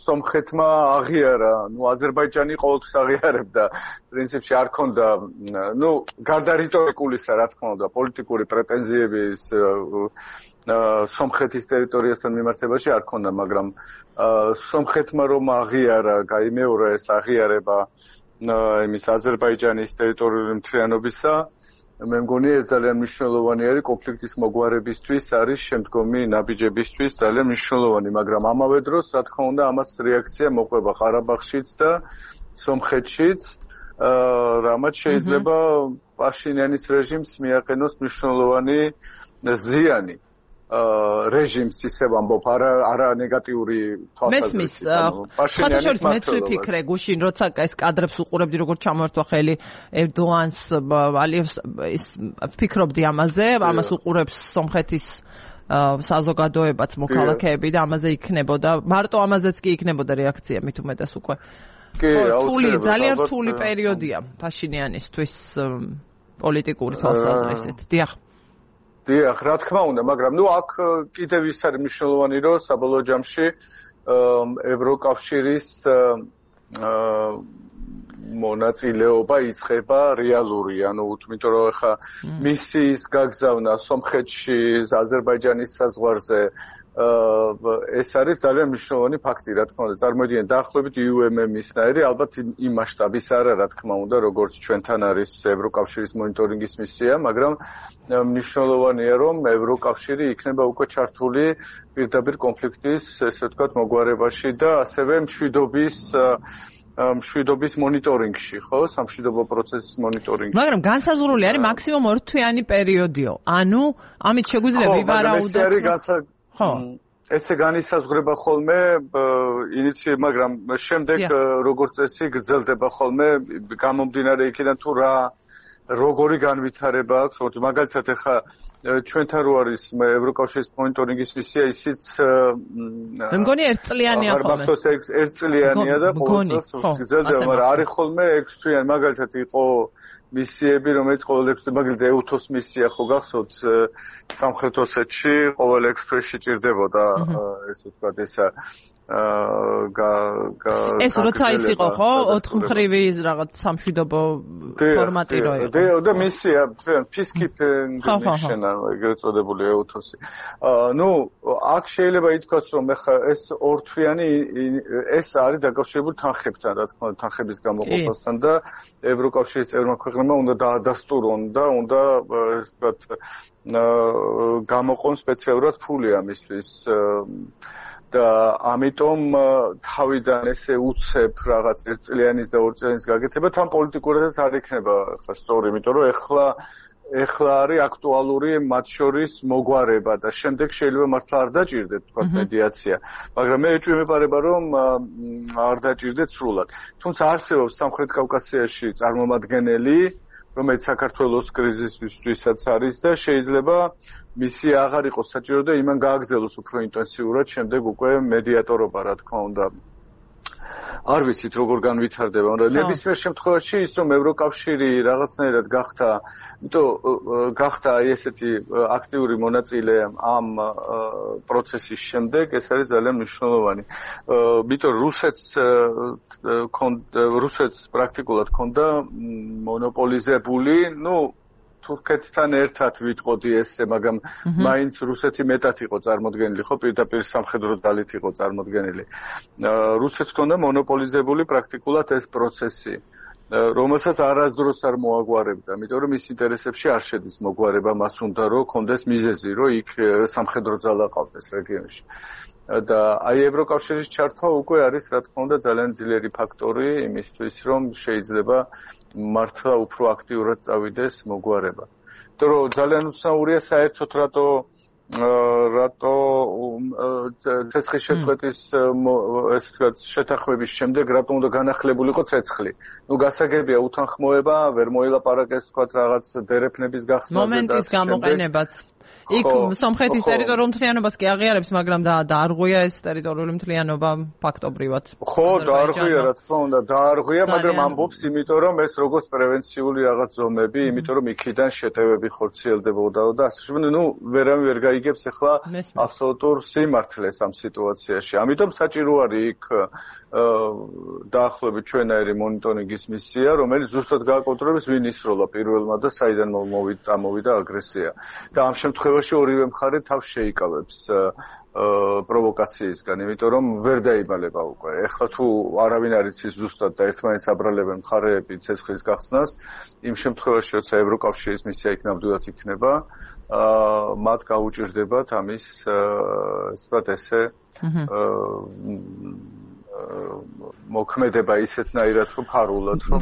სომხეთმა აღიარა, აზერბაიჯანი ყოველთვის აღიარებდა, პრინციპში არ ქონდა, გარდა რიტორიკულისა, რა თქმა უნდა, პოლიტიკური პრეტენზიების სომხეთის ტერიტორიასთან მიმართებაში არ ქონდა, მაგრამ სომხეთმა რომ აღიარა, გაიმეორა ეს აღიარება იმის აზერბაიჯანის ტერიტორიული მთლიანობისა, მე მგონი ეს ძალიან მნიშვნელოვანი არის კონფლიქტის მოგვარებისთვის, არის შემდგომი ნაბიჯებისთვის ძალიან მნიშვნელოვანი, მაგრამ ამავე დროს, რა თქმა უნდა, ამას რეაქცია მოყვება ყარაბაღშიც და სომხეთშიც, რამაც შეიძლება პაშინიანის რეჟიმს მიაყენოს მნიშვნელოვანი ზიანი. რეჟიმს ისევ ამბობ, არა ნეგატიური თვალსაზრისით. ფათაშორის მეც ვიფიქრე გუშინ, როცა ეს კადრებს უყურებდი, როგორც ჩამოერთვა ხელი ერდოანს, ალიევს, ვფიქრობდი ამაზე, ამას უყურებს სომხეთის საზოგადოებაც, მოქალაქეები და ამაზე იქნებოდა, მარტო ამაზეც კი იქნებოდა რეაქცია, მით უმეტეს უკვე. ძალიან რთული პერიოდია ფაშინიანისთვის პოლიტიკური თვალსაზრისით. დიახ. დიახ, რა თქმა უნდა, მაგრამ აქ კიდევ ის არის მნიშვნელოვანი, რომ საბოლოო ჯამში ევროკავშირის მონაწილეობა იწყება რეალური, იმიტომ რომ ახლა მისიის გაგზავნა სომხეთში, აზერბაიჯანის საზღვარზე ეს არის ძალიან მნიშვნელოვანი ფაქტი, რა თქმა უნდა. წარმოიდგინეთ, დაახლოებით UMM-ისნაირი, ალბათ იმ მასშტაბის არა, რა თქმა უნდა, როგორც ჩვენთან არის ევროკავშირის მონიტორინგის მისია, მაგრამ მნიშვნელოვანია, რომ ევროკავშირი იქნება უკვე ჩართული პირდაპირ კონფლიქტის, ესე ვთქვათ, მოგვარებაში და ასევე მშვიდობის მონიტორინგში, ხო? სამშვიდობო პროცესის მონიტორინგში. მაგრამ განსაზღვრული არის მაქსიმუმ 2 თვიანი პერიოდიო. ანუ ამით შეგვიძლია ვივარაუდოთ. ხო, ესე განისაზღვრება ხოლმე მაგრამ შემდეგ როგორც წესი გრძელდება ხოლმე გამომდინარე იქიდან თუ როგორი განვითარება აქვს, მაგალითად ახლა ჩვენთან რო არის ევროკავშირის მონიტორინგის მისია, ისიც მე მგონი ერთწლიანია ხოლმე. ერთწლიანია და ყოველთვის გრძელდება, მაგრამ არის ხოლმე 6 თვიანი, მაგალითად იყო მისიები, რომელიც ყოველ 6 თვეში, მაგალითად EUTOS მისია ხო გახსოვთ სამხრეთ ოსეთში, ყოველ 6 თვეში ჭირდებოდა, ესე ვთქვათ, ესა ეს როცა ის იყო ხო 4 მხრივი რაღაც სამშვიდობო ფორმატი რო იყო და მისია peacekeeping mission ეგრეთ წოდებული EUTHOS-ი ნუ აქ შეიძლება ითქვას რომ ეხა ეს ორთვიანი ეს არის დაკავშირებული თანხებთან რა თქმა უნდა თანხების გამოყოფასთან და ევროკავშირის წევრმა ქვეყნებმა უნდა დაადასტურონ და უნდა ვთქვათ გამოყონ სპეციალურად ფული ამისთვის და ამიტომ თავიდან ესე უცებ რაღაც ერთწლიანის და ორწლიანის გაკეთება თან პოლიტიკურადაც არ იქნება ხა სწორი, იმიტომ რომ ეხლა არის აქტუალური მათ შორის მოგვარება და შემდეგ შეიძლება მართლა არ დაჭირდეთ თქვა მედიაცია, მაგრამ მე ეჭვი მეპარება რომ არ დაჭირდეთ სრულად. თუმცა არსებობს სამხრეთ კავკასიაში წარმომადგენელი რომელიც საქართველოს კრიზისისთვისაც არის და შეიძლება მისია აღარ იყოს საჭირო და იმან გააგრძელოს უფრო ინტენსიურად შემდეგ უკვე მედიატორობა რა თქმა უნდა არ ვიცით როგორ განვითარდება მაგრამ ნებისმიერ შემთხვევაში ის რომ ევროკავშირი რაღაცნაირად გახდა აი ესეთი აქტიური მონაწილე ამ პროცესის შემდეგ ეს არის ძალიან მნიშვნელოვანი იმიტომ რუსეთს პრაქტიკულად ჰქონდა მონოპოლიზებული თურქეთთან ერთად ვიტყოდი ესე, მაგრამ მაინც რუსეთი მეტად იყო წარმოდგენილი, ხო, პირდაპირ სამხედრო ძალით იყო წარმოდგენილი. რუსეთს ჰქონდა მონოპოლიზებული პრაქტიკულად ეს პროცესი, რომელსაც არასდროს არ მოაგვარებდა, იმიტომ რომ მის ინტერესებში არ შედის მოგვარება, მას უნდა რომ ჰქონდეს მიზეზი, რომ იქ სამხედრო ძალა ყავდეს რეგიონში. და აი ევროკავშირის ჩართვა უკვე არის, რა თქმა უნდა, ძალიან ძლიერი ფაქტორი იმისთვის, რომ შეიძლება მართლა უფრო აქტიურად წავიდეს მოგვარება. იმიტომ რომ ძალიან უცნაურია საერთოდ რატო ცეცხლის შეწყვეტის ესე ვთქვათ შეთანხმების შემდეგ რატო უნდა განახლებულიყო ცეცხლი. გასაგებია უთანხმოება, ვერ მოილაპარაკეს ვთქვათ რაღაც დერეფნების გახსნაზე და მომენტის გამოყენებაც. იქ სომხეთის ტერიტორიულ მთლიანობას კი აღიარებს, მაგრამ დაარღვია ეს ტერიტორიული მთლიანობა ფაქტობრივად. ხო, დაარღვია, რა თქმა უნდა, დაარღვია, მაგრამ ამბობს, იმიტომ რომ ეს როგორც პრევენციული რაღაც ზომები, იმიტომ რომ იქიდან შეტევები ხორციელდებოდა და ასე შემდეგ, ვერავინ ვერ გაიგებს ახლა აბსოლუტურ სიმართლეს ამ სიტუაციაში. ამიტომ საჭირო არის იქ დაახლოებით ჩვენაირი მონიტორინგის მისია, რომელიც ზუსტად გააკონტროლებს ვინ ისროლა პირველმა და საიდან წამოვიდა აგრესია. და ამ შემთხვევაში ორივე მხარე თავს შეიკავებს პროვოკაციისგან, იმიტომ რომ ვერ დაიბალება უკვე. ეხლა თუ არავინ არ იცის ზუსტად და ერთმანეთს აბრალებენ მხარეები ცეცხლის გახსნას, იმ შემთხვევაში, როცა ევროკავშირის მისია იქ ნამდვილად იქნება, მათ გაუჭირდებათ ამის ვთქვათ ესე მოქმედება ისეთნაირად რომ ფარულად რომ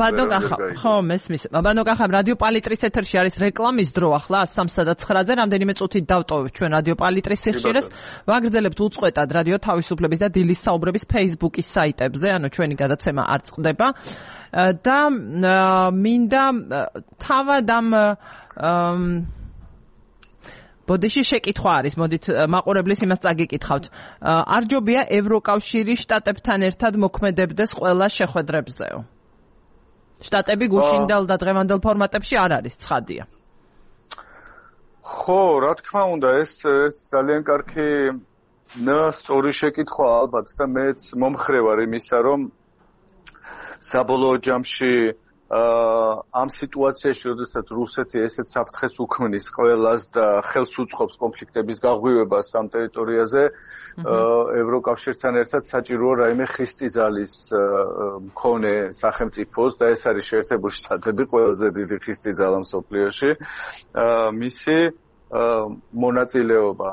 ხო მესმის ბანო კახა რადიო პალიტრის ეთერში არის რეკლამის დრო ახლა 3:09-ზე რამდენიმე წუთით დავტოვებთ ჩვენ რადიო პალიტრის სიხშირეს ვაგრძელებთ უწყვეტად რადიო თავისუფლების და დილის საუბრების Facebook-ის საიტებზე ანუ ჩვენი გადაცემა არ წყდება და მინდა თავად ამ ბოდიში შეკითხვა არის, მოდით მაყურებლის იმას წაგიკითხავთ. არ ჯობია ევროკავშირი შტატებთან ერთად მოქმედებდეს ყველა შეხვედრებზეო. შტატები გუშინდელ და დღევანდელ ფორმატებში არ არის, ცხადია. ხო, რა თქმა უნდა, ეს ძალიან კარგი სწორი შეკითხვა ალბათ და მეც მომხრე ვარ იმისა, რომ საბოლოო ჯამში ამ სიტუაციაში, როდესაც რუსეთი ესეთ საფრთხეს უქმნის ყველას და ხელს უწყობს კონფლიქტების გაღვივებას ამ ტერიტორიაზე, ევროკავშირთან ერთად საჭიროა რაიმე ხისტი ძალის მქონე სახელმწიფოს და ეს არის შეერთებული შტატები, ყველაზე დიდი ხისტი ძალა მსოფლიოში, მისი მონაწილეობა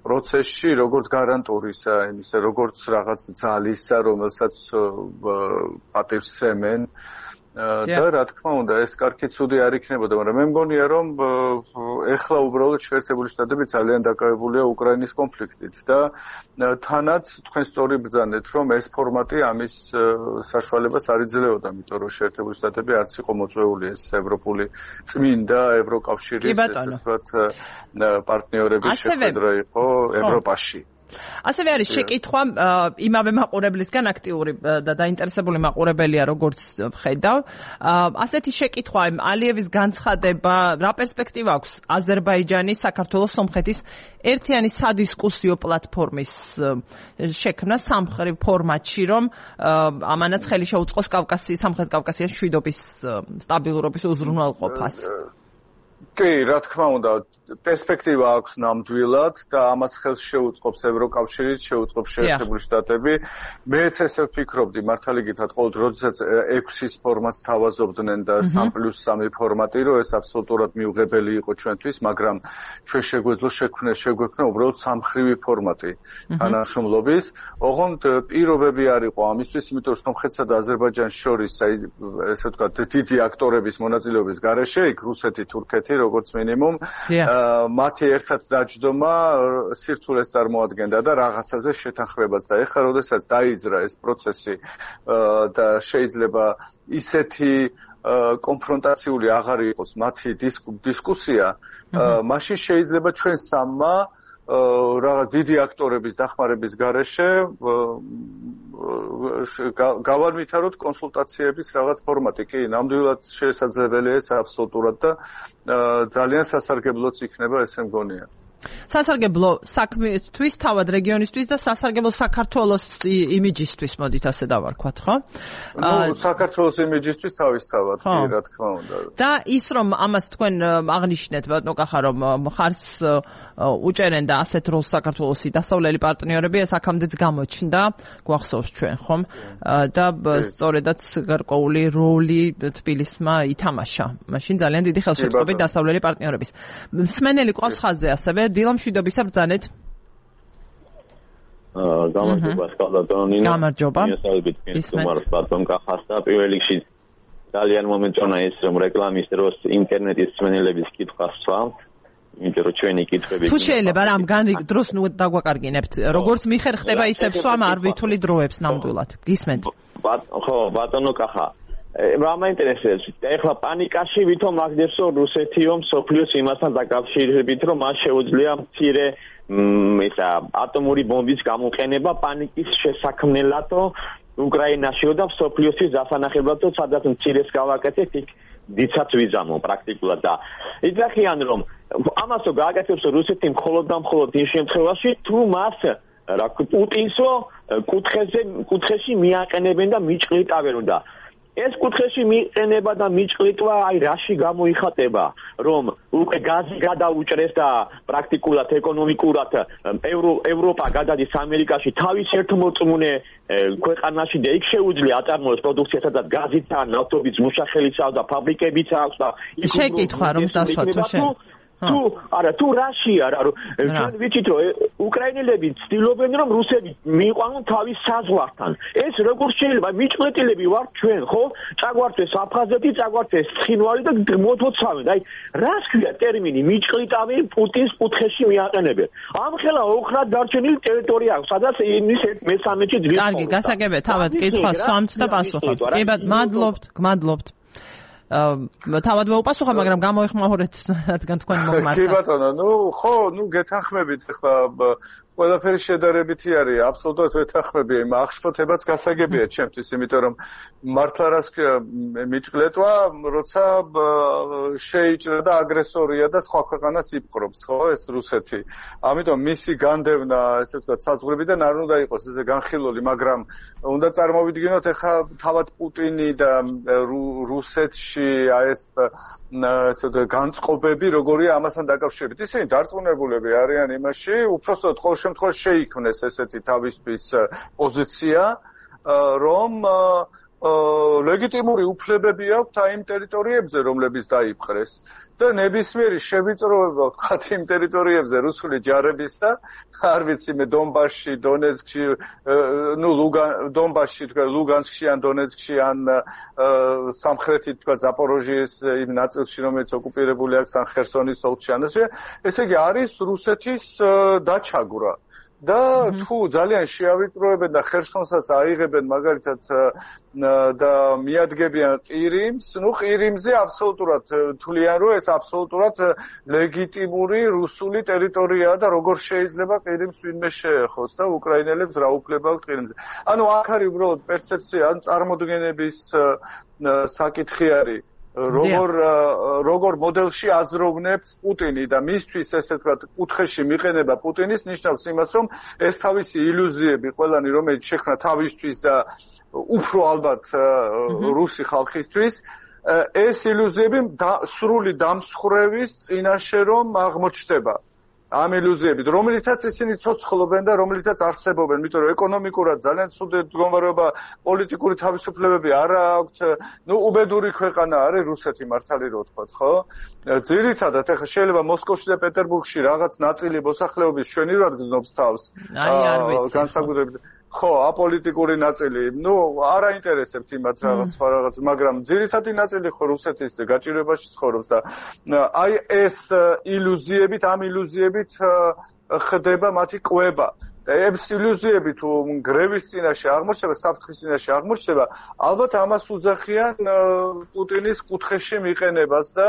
პროცესში როგორც გარანტურისა, იმისა, როგორც რაღაც ძალისა, რომელსაც პატივს სცემენ და რა თქმა უნდა, ეს კარგი ცუდი არ იქნებოდა, მაგრამ მე მგონია, რომ ეხლა უბრალოდ შეერთებული შტატები ძალიან დაკავებულია უკრაინის კონფლიქტით და თანაც თქვენ სწორი ბრძანეთ, რომ ეს ფორმატი ამის საშუალებას არ იძლეოდა, იმიტომ რომ შეერთებული შტატები არც იყო მოწვეული ეს ევროპული წმინდა ევროკავშირის ესე ვთქვათ პარტნიორების შეხვედრა იყო ევროპაში. ასევე არის შეკითხვა იმავე მაყურებლისგან აქტიური და დაინტერესებული მაყურებელია როგორც ვხედავ. ასეთი შეკითხვა ალიევის განცხადება რა პერსპექტივა აქვს აზერბაიჯანის, საქართველოს, სომხეთის ერთიანი სადისკუსიო პლატფორმის შექმნა სამხრეთ ფორმატში, რომ ამანაც ხელი შეუწყოს სამხრეთ კავკასიის მშვიდობის სტაბილურობის უზრუნველყოფას. კი, რა თქმა უნდა, პერსპექტივა აქვს ნამდვილად და ამას ხელს შეუწყობს ევროკავშირიც, შეუწყობს შეერთებული შტატები. მეც ესე ვფიქრობდი, მართალი გითხრათ, ყოველ როდესაც 6-ის ფორმატს თავაზობდნენ და 3+3 ფორმატი, რომ ეს აბსოლუტურად მიუღებელი იყო ჩვენთვის, მაგრამ ჩვენ შეგვეძლო შეგვექმნა უბრალოდ სამხრივი ფორმატი თანამშრომლობის. ოღონდ პირობები არ იყო ამისთვის, იმიტომ რომ სომხეთსა და აზერბაიჯანს შორის, ესე ვთქვათ, დიდი აქტორების მონაწილეობის გარეშე, იქ რუსეთი, თურქეთი, როგორც მინიმუმ მათი ერთად დაჯდომა სირთულეს წარმოადგენდა და რაღაცაზე შეთანხმებას და ეხლა როდესაც დაიძრა ეს პროცესი და შეიძლება ისეთი კონფრონტაციული აღარ იყოს მათი დისკუსია, მაშინ შეიძლება ჩვენ სამმა რაღაც დიდი აქტორების დახმარების გარეშე გავარვითაროთ კონსულტაციების რაღაც ფორმატი. კი, ნამდვილად შესაძლებელია ეს აბსოლუტურად და ძალიან სასარგებლოც იქნება, ესე მგონია. სასარგებლო საქმისთვის, თავად რეგიონისთვის და სასარგებლო საქართველოს იმიჯისთვის, მოდით ასე დავარქვათ, ხო? საქართველოს იმიჯისთვის თავისთავად, კი, რა თქმა უნდა. და ის რომ ამას თქვენ აღნიშნეთ, ბატონო კახა, რომ ხარც უჭერენ და ასეთ როლს საქართველოსი დასავლელი პარტნიორები, ეს აქამდეც გამოჩნდა, გვახსოვს ჩვენ, ხომ? და სწორედაც გარკვეული როლი თბილისმა ითამაშა. მაშინ ძალიან დიდი ხელშეწყობით დასავლელი პარტნიორების. მსმენელი ყავს ხაზზე ასევე დილა მშვიდობისა ბრძანეთ. გამარჯობა სკალატონინო. გამარჯობა. ისმენთ ბატონ კახას და პირველ რიგში ძალიან მომეწონა ეს რომ რეკლამის დროს ინტერნეტის მსმენელების კითხვას სვამთ. იმიტომ რომ ჩვენი კითხვები თუ შეიძლება რამ დროს ნუ დაგვაკარგინებთ. როგორც მიხერ ხდება ისე სვამ არ ვითული დროებს ნამდვილად. გისმენთ. ხო, ბატონო კახა. რა მაინტერესებს? ეხლა პანიკაში ვითომ აგდებსო რუსეთიო მსოფლიოს იმასთან დაკავშირებით, რომ მას შეუძლია მცირე ატომური ბომბის გამოყენება პანიკის შესაქმნელადო უკრაინაშიო და მსოფლიოსთვის დასანახებლადო, სადაც მცირეს გავაკეთეთ, იქ დიცაც ვიზამო პრაქტიკულად და იძახიან რომ ამასო გააკეთებს რუსეთი მხოლოდ და მხოლოდ იმ შემთხვევაში თუ მას პუტინსო კუთხეში მიაყენებენ და მიჭყლიტავენ და ეს კუთხეში მიყენება და მიჭყლიტვა აი რაში გამოიხატება რომ უკვე გაზი გადაუჭრეს და პრაქტიკულად ეკონომიკურად ევროპა გადადის ამერიკაში თავის ერთმოწმუნე ქვეყანაში და იქ შეუძლია აწარმოოს პროდუქციას სადაც გაზით ან ნავთობის მუშახელიცაა და ფაბრიკებიც აქვს და იქ შეკითხვა რომ დასვათო შენ თუ რაშია რა რომ ჩვენ ვიცით რომ უკრაინელები ცდილობენ რომ რუსები მიიყვანონ თავის საზღვართან ეს როგორ შეიძლება მიჭყლეტილები ვართ ჩვენ ხო წაგვართეს აფხაზეთი წაგვართეს ცხინვალი და მოთოცავენ აი რას ქვია ტერმინი მიჭყლიტავენ პუტინს კუთხეში მიაყენებენ ამხელა ოხრად დარჩენილი ტერიტორია აქვს სადაც იმის მე-13-ში ძვირს კარგი გასაგებია თავად კითხვა სვამთ და პასუხობთ კი გმადლობთ თავად მეუპასუხა, მაგრამ გამოეხმაურეთ, რადგან თქვენ მოგმართა. კი ბატონო, გეთანხმებით ახლა ყველაფერი შედარებითი არის, აბსოლუტურად ვეთანხმები, აღშფოთებაც გასაგებია ჩემთვის, იმიტომ რომ მართლა რას მიჭყლეტვა, როცა შეიჭრა და აგრესორია და სხვა ქვეყანას იპყრობს, ხო, ეს რუსეთი. ამიტომ მისი განდევნა, ესე ვთქვათ, საზღვრებიდან არ უნდა იყოს ესე განხილული, მაგრამ უნდა წარმოვიდგინოთ ახლა თავად პუტინი და რუსეთში ეს განწყობები როგორია ამასთან დაკავშირებით. ისინი დარწმუნებულები არიან იმაში, უпростоოდ ყოველ შემთხვევაში შეიქმნეს ესეთი თავისთვის პოზიცია, რომ ლეგიტიმური უფლებები აქვთ იმ ტერიტორიებზე, რომლებიც დაიპყრეს. და ნებისმიერი შევიწროება ვთქვათ იმ ტერიტორიებზე რუსული ჯარებისა, არ ვიცი მე დონბასში, დონეცკში, დონბასში, ლუგანსკში ან დონეცკში ან სამხრეთით ვთქვათ ზაპოროჟიეს იმ ნაწილში, რომელიც ოკუპირებული აქვს ან ხერსონის ოლქში ან ესე იგი არის რუსეთის დაჩაგვრა. და თუ ძალიან შეავიწროებენ და ხერსონსაც აიღებენ მაგალითად და მიადგებიან ყირიმს, ნუ ყირიმზე აბსოლუტურად თვლიან, რომ ეს აბსოლუტურად ლეგიტიმური რუსული ტერიტორიაა და როგორ შეიძლება ყირიმს ვინმე შეეხოს და უკრაინელებს რა უფლება აქვს ყირიმზე. ანუ აქ არის უბრალოდ პერცეფცია, ანუ წარმოდგენების საკითხი არის. როგორ მოდელში აზროვნებს პუტინი და მისთვის ესე ვთქვათ კუთხეში მიყენება პუტინის ნიშნავს იმას რომ ეს თავისი ილუზიები ყველანი რომელიც შექმნა თავისთვის და უფრო ალბათ რუსი ხალხისთვის ეს ილუზიები სრული დამსხვრევის წინაშე რომ აღმოჩნდება ამ ილუზიებით რომელიცაც ისინი ცოცხლობენ და რომელიცაც არსებობენ იმიტომ რომ ეკონომიკურად ძალიან ცუდი მდგომარეობა პოლიტიკური თავისუფლებები არ აქვთ ნუ უბედური ქვეყანა არის რუსეთი მართალი რო ვთქვათ ხო ძირითადად ეხლა შეიძლება მოსკოვში და პეტერბურგში რაღაც ნაწილი მოსახლეობის ჩვენივად გზნობს თავს განსაკუთრებით ხო აპოლიტიკური ნაწილი ნუ არ აინტერესებთ იმათ რაღაც მაგრამ ძირითადი ნაწილი ხო რუსეთის გაჭირვებაში ცხოვრობს და აი ეს ილუზიებით ამ ილუზიებით ხდება მათი კვება და ეს ილუზიები თუ გრევის წინაშე აღმოჩნდება საფრთხის წინაშე აღმოჩნდება ალბათ ამას უძახიან პუტინის კუთხეში მიყენებას და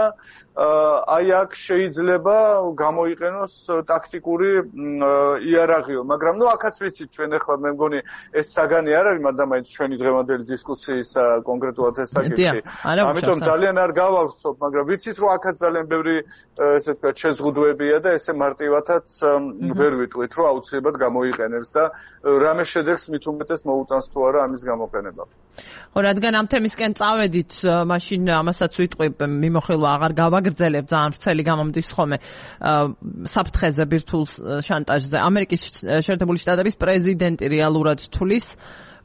აი აქ შეიძლება გამოიყენოს ტაქტიკური იარაღიო მაგრამ ნუ აქაც ვიცით ჩვენ ახლა მე მგონი ეს საგანი არ არის მაგრამ მაინც ჩვენი დღევანდელი დისკუსიის კონკრეტულად ეს საკითხი ამიტომ ძალიან არ გავავრცობ მაგრამ ვიცით რომ აქაც ძალიან ბევრი ესე ვთქვათ შეზღუდვებია და ესე მარტივადაც ვერ ვიტყვით რომ აუცილებლად გამოიყენებს და რამე შედეგს მით უმეტეს მოუტანს თუ არა ამის გამოყენება ხო რადგან ამ თემისკენ წავედით მაშინ ამასაც ვიტყვი მიმოხილვა აღარ გავაგრძელებ ძალიან ვრცელი გამომდის ხოლმე საფრთხეზე ბირთვულ შანტაჟზე ამერიკის შეერთებული შტატების პრეზიდენტი რეალურად თulis